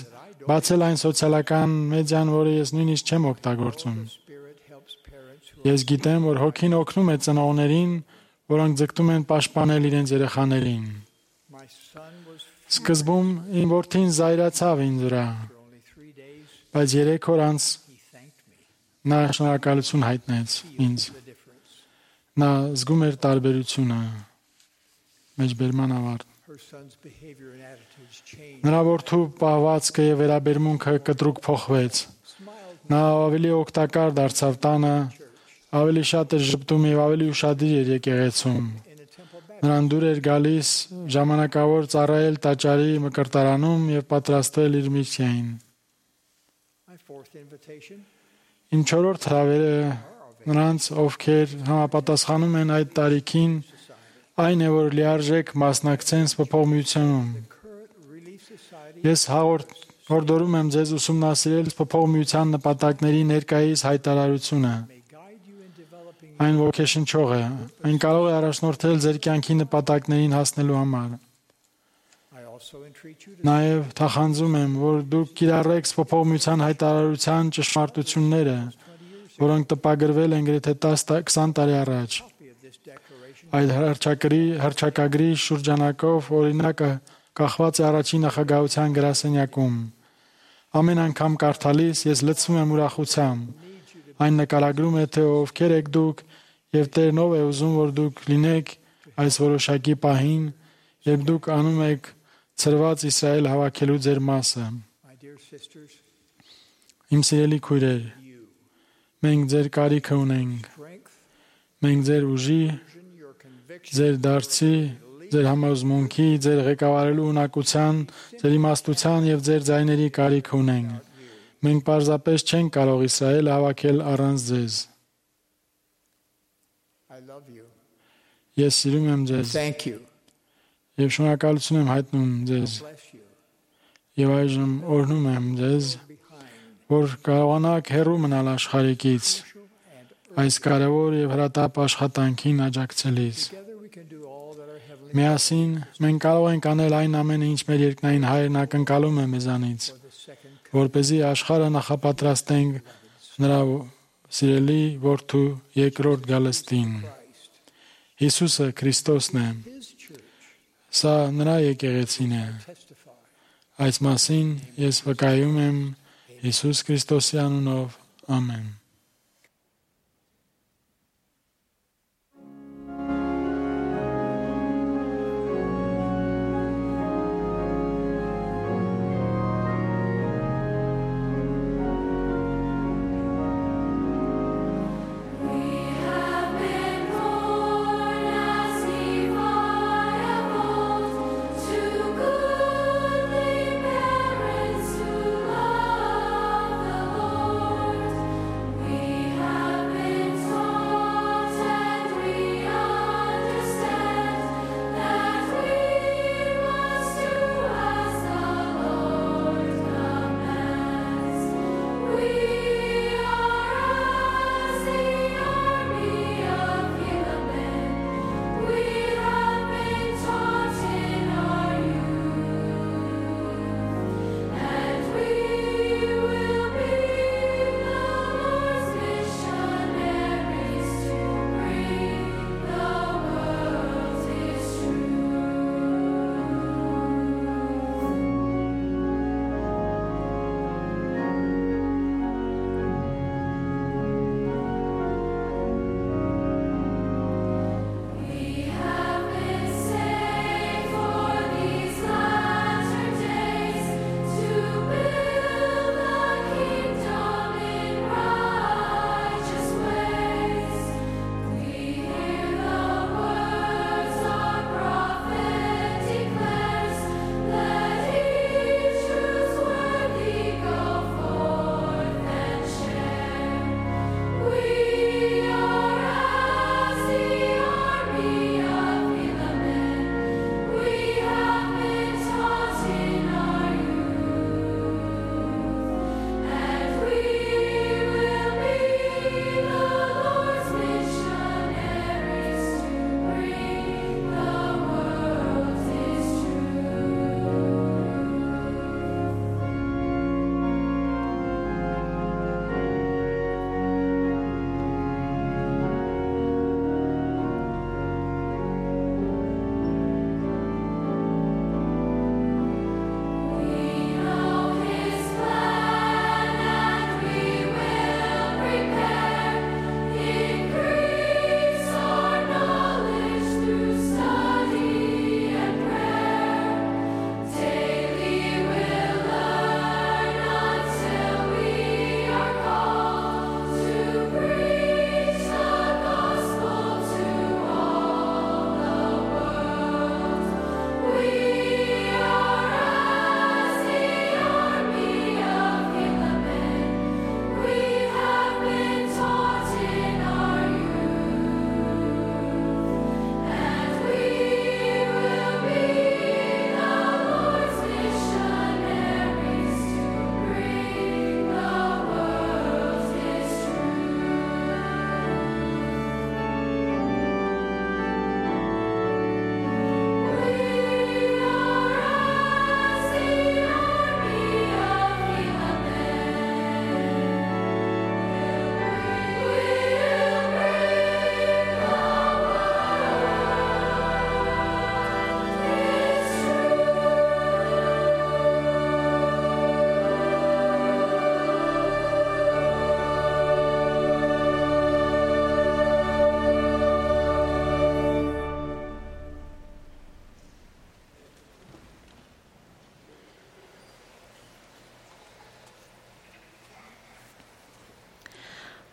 բացել այն սոցիալական մեդիան, որը ես նույնիսկ չեմ օգտագործում։ Ես գիտեմ, որ հոգին օգնում է ծնողներին, որոնք ձգտում են պաշտպանել իրենց երեխաներին։ Սկզբում իմ որդին զայրացավ ինձ վրա, բայց երեք օր անց նա շնորհակալություն հայտնեց ինձ։ Նա զգում էր տարբերությունը։ Մեջբերման ավարտ։ Նրա որդու պահվածքը եւ վերաբերմունքը կտրուկ փոխվեց։ Նա ավելի օգտակար դարձավ տանը, ավելի շատ էր ժպտում եւ ավելի ուշադիր էր եկեղեցում։ Նրան դուր էր գալիս ժամանակավոր ծառայել տաճարի մկրտարանում եւ պատրաստվել իր միսիային։ Իմ չորրորդ հրավերը նրանց, ովքեր համապատասխանում են այդ տարիքին, այն է, որ լիարժեք մասնակցեն սփոփողմիությունում։ Ես հորդորում եմ ձեզ ուսումնասիրել սփոփողմիության նպատակների ներկայիս հայտարարությունը։ Այն ոգեշնչող է։ Այն կարող է առաջնորդել ձեր կյանքի նպատակներին հասնելու համար։ Նաև թախանձում եմ, որ դուք կիրառեք սփոփողմիության հայտարարության ճշմարտությունները, որոնք տպագրվել են գրեթե տասը-քսան տարի առաջ։ Այդ հռչակագրի շրջանակով օրինակը կախված է առաջին նախագահության գրասենյակում։ Ամեն անգամ կարդալիս ես լցվում եմ ուրախությամբ։ Այն նկարագրում է, թե ովքեր եք դուք եւ Տերն ով է ուզում, որ դուք լինեք այս որոշակի պահին, երբ դուք անում եք ծրված Իսրայել հավաքելու ձեր մասը։ Իմ սիրելի քույրեր, մենք ձեր կարիքը ունենք։ Մենք ձեր ուժի, ձեր դարձի, ձեր համոզմունքի, ձեր ղեկավարելու ունակության, ձեր իմաստության եւ ձեր ձայների կարիք ունենք։ Մենք պարզապես չենք կարող Իսրայել հավաքել առանց ձեզ։ Ես սիրում եմ ձեզ։ Եվ շնորհակալություն եմ հայտնում ձեզ։ Եվ այժմ օրհնում եմ ձեզ, որ կարողանաք հեռու մնալ աշխարհիկից, այս կարևոր եւ հրատապ աշխատանքին աջակցելիս։ Միասին մենք կարող ենք անել այն ամենը, ինչ մեր երկնային Հայրն ակնկալում է մեզանից, որպեսզի աշխարհը նախապատրաստենք նրա սիրելի որդու երկրորդ գալստին։ Հիսուսը Քրիստոսն է։ Սա նրա եկեղեցին է։ Այս մասին ես վկայում եմ Հիսուս Քրիստոսի անունով։ Ամեն։ We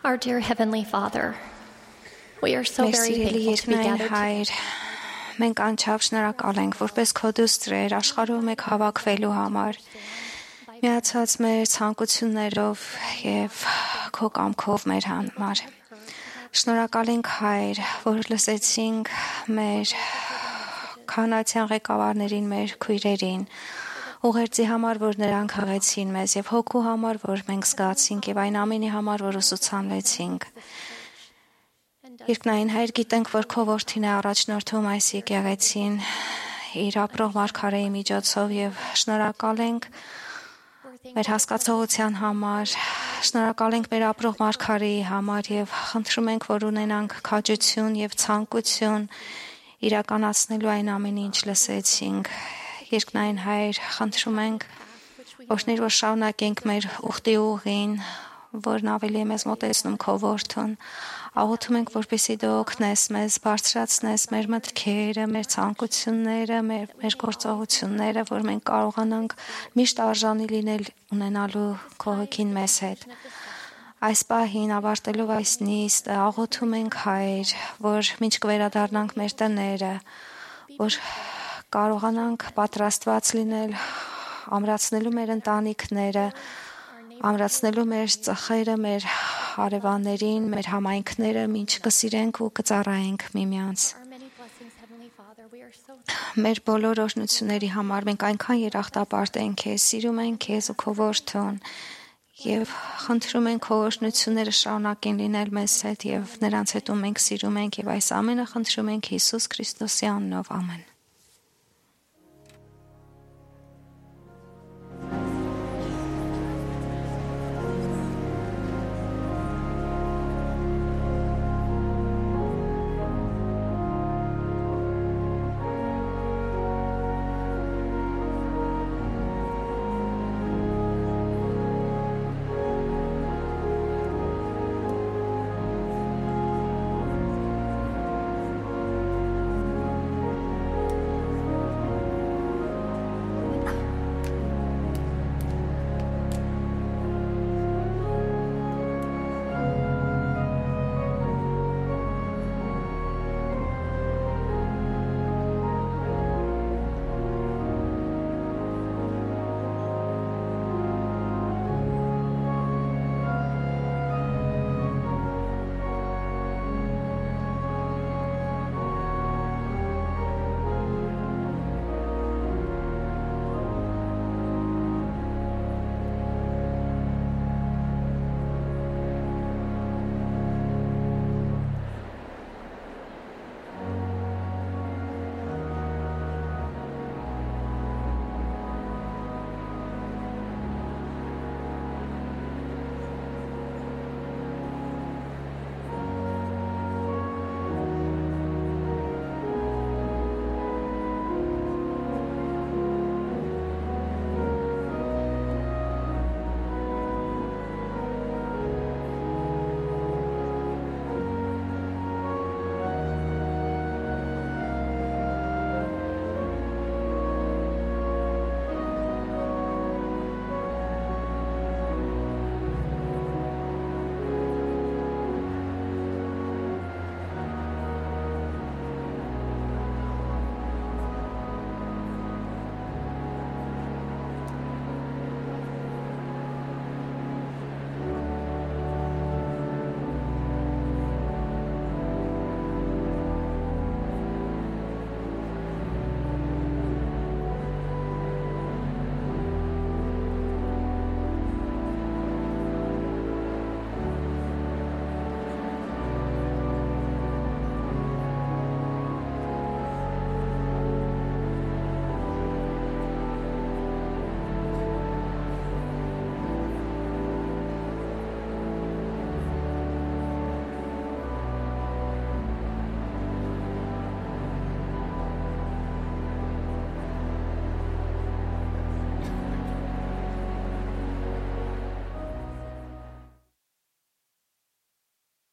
Our dear Heavenly Father, we are so Մեր very սիրելի thankful to be երկնային gathered Հայր, մենք անչափ շնորհակալ ենք, որպես քո դուստրեր աշխարհում եք հավաքվելու համար, միացած մեր ցանկություններով եւ քո կամքով մեր համար։ Շնորհակալ ենք Հայր, որ լսեցինք մեր քանացյան ղեկավարներին, մեր քույրերին, ուղերձի համար, որ նրանք հղեցին մեզ եւ հոգու համար, որ մենք զգացինք եւ այն ամենի համար, որ ուսուցանվեցինք։ Երկնային Հայր, գիտենք, որ քո որդին է առաջնորդում այս եկեղեցին իր ապրող մարգարեի միջոցով եւ շնորհակալ ենք մեր հասկացողության համար, շնորհակալ ենք մեր ապրող մարգարեի համար եւ խնդրում ենք, որ ունենանք քաջություն եւ ցանկություն իրականացնելու այն ամենը, ինչ լսեցինք։ Երկնային Հայր, խնդրում ենք, օրհնիր, որ շարունակենք մեր ուխտի ուղին, որն ավելի է մեզ մոտեցնում քո որդուն։ Աղոթում ենք, որպեսզի դու օգնես մեզ, բարձրացնես մեր մտքերը, մեր ցանկությունները, մեր, մեր գործողությունները, որ մենք կարողանանք միշտ արժանի լինել ունենալու քո հոգին մեզ հետ։ Այս պահին ավարտելով այս նիստը աղոթում ենք, Հայր, որ մինչ կվերադառնանք մեր տները, որ կարողանանք պատրաստված լինել, ամրացնելու մեր ընտանիքները, ամրացնելու մեր ծխերը, մեր հարևաններին, մեր համայնքները, ինչ կսիրենք ու կծառայենք միմյանց։ Մեր բոլոր օրհնությունների համար մենք այնքան երախտապարտ ենք քեզ, սիրում ենք քեզ ու քո որդուն եւ խնդրում ենք քո օրհնությունները շարունակեն լինել մեզ հետ եւ նրանց հետ ում մենք սիրում ենք եւ այս ամենը խնդրում ենք Հիսուս Քրիստոսի անունով, ամեն։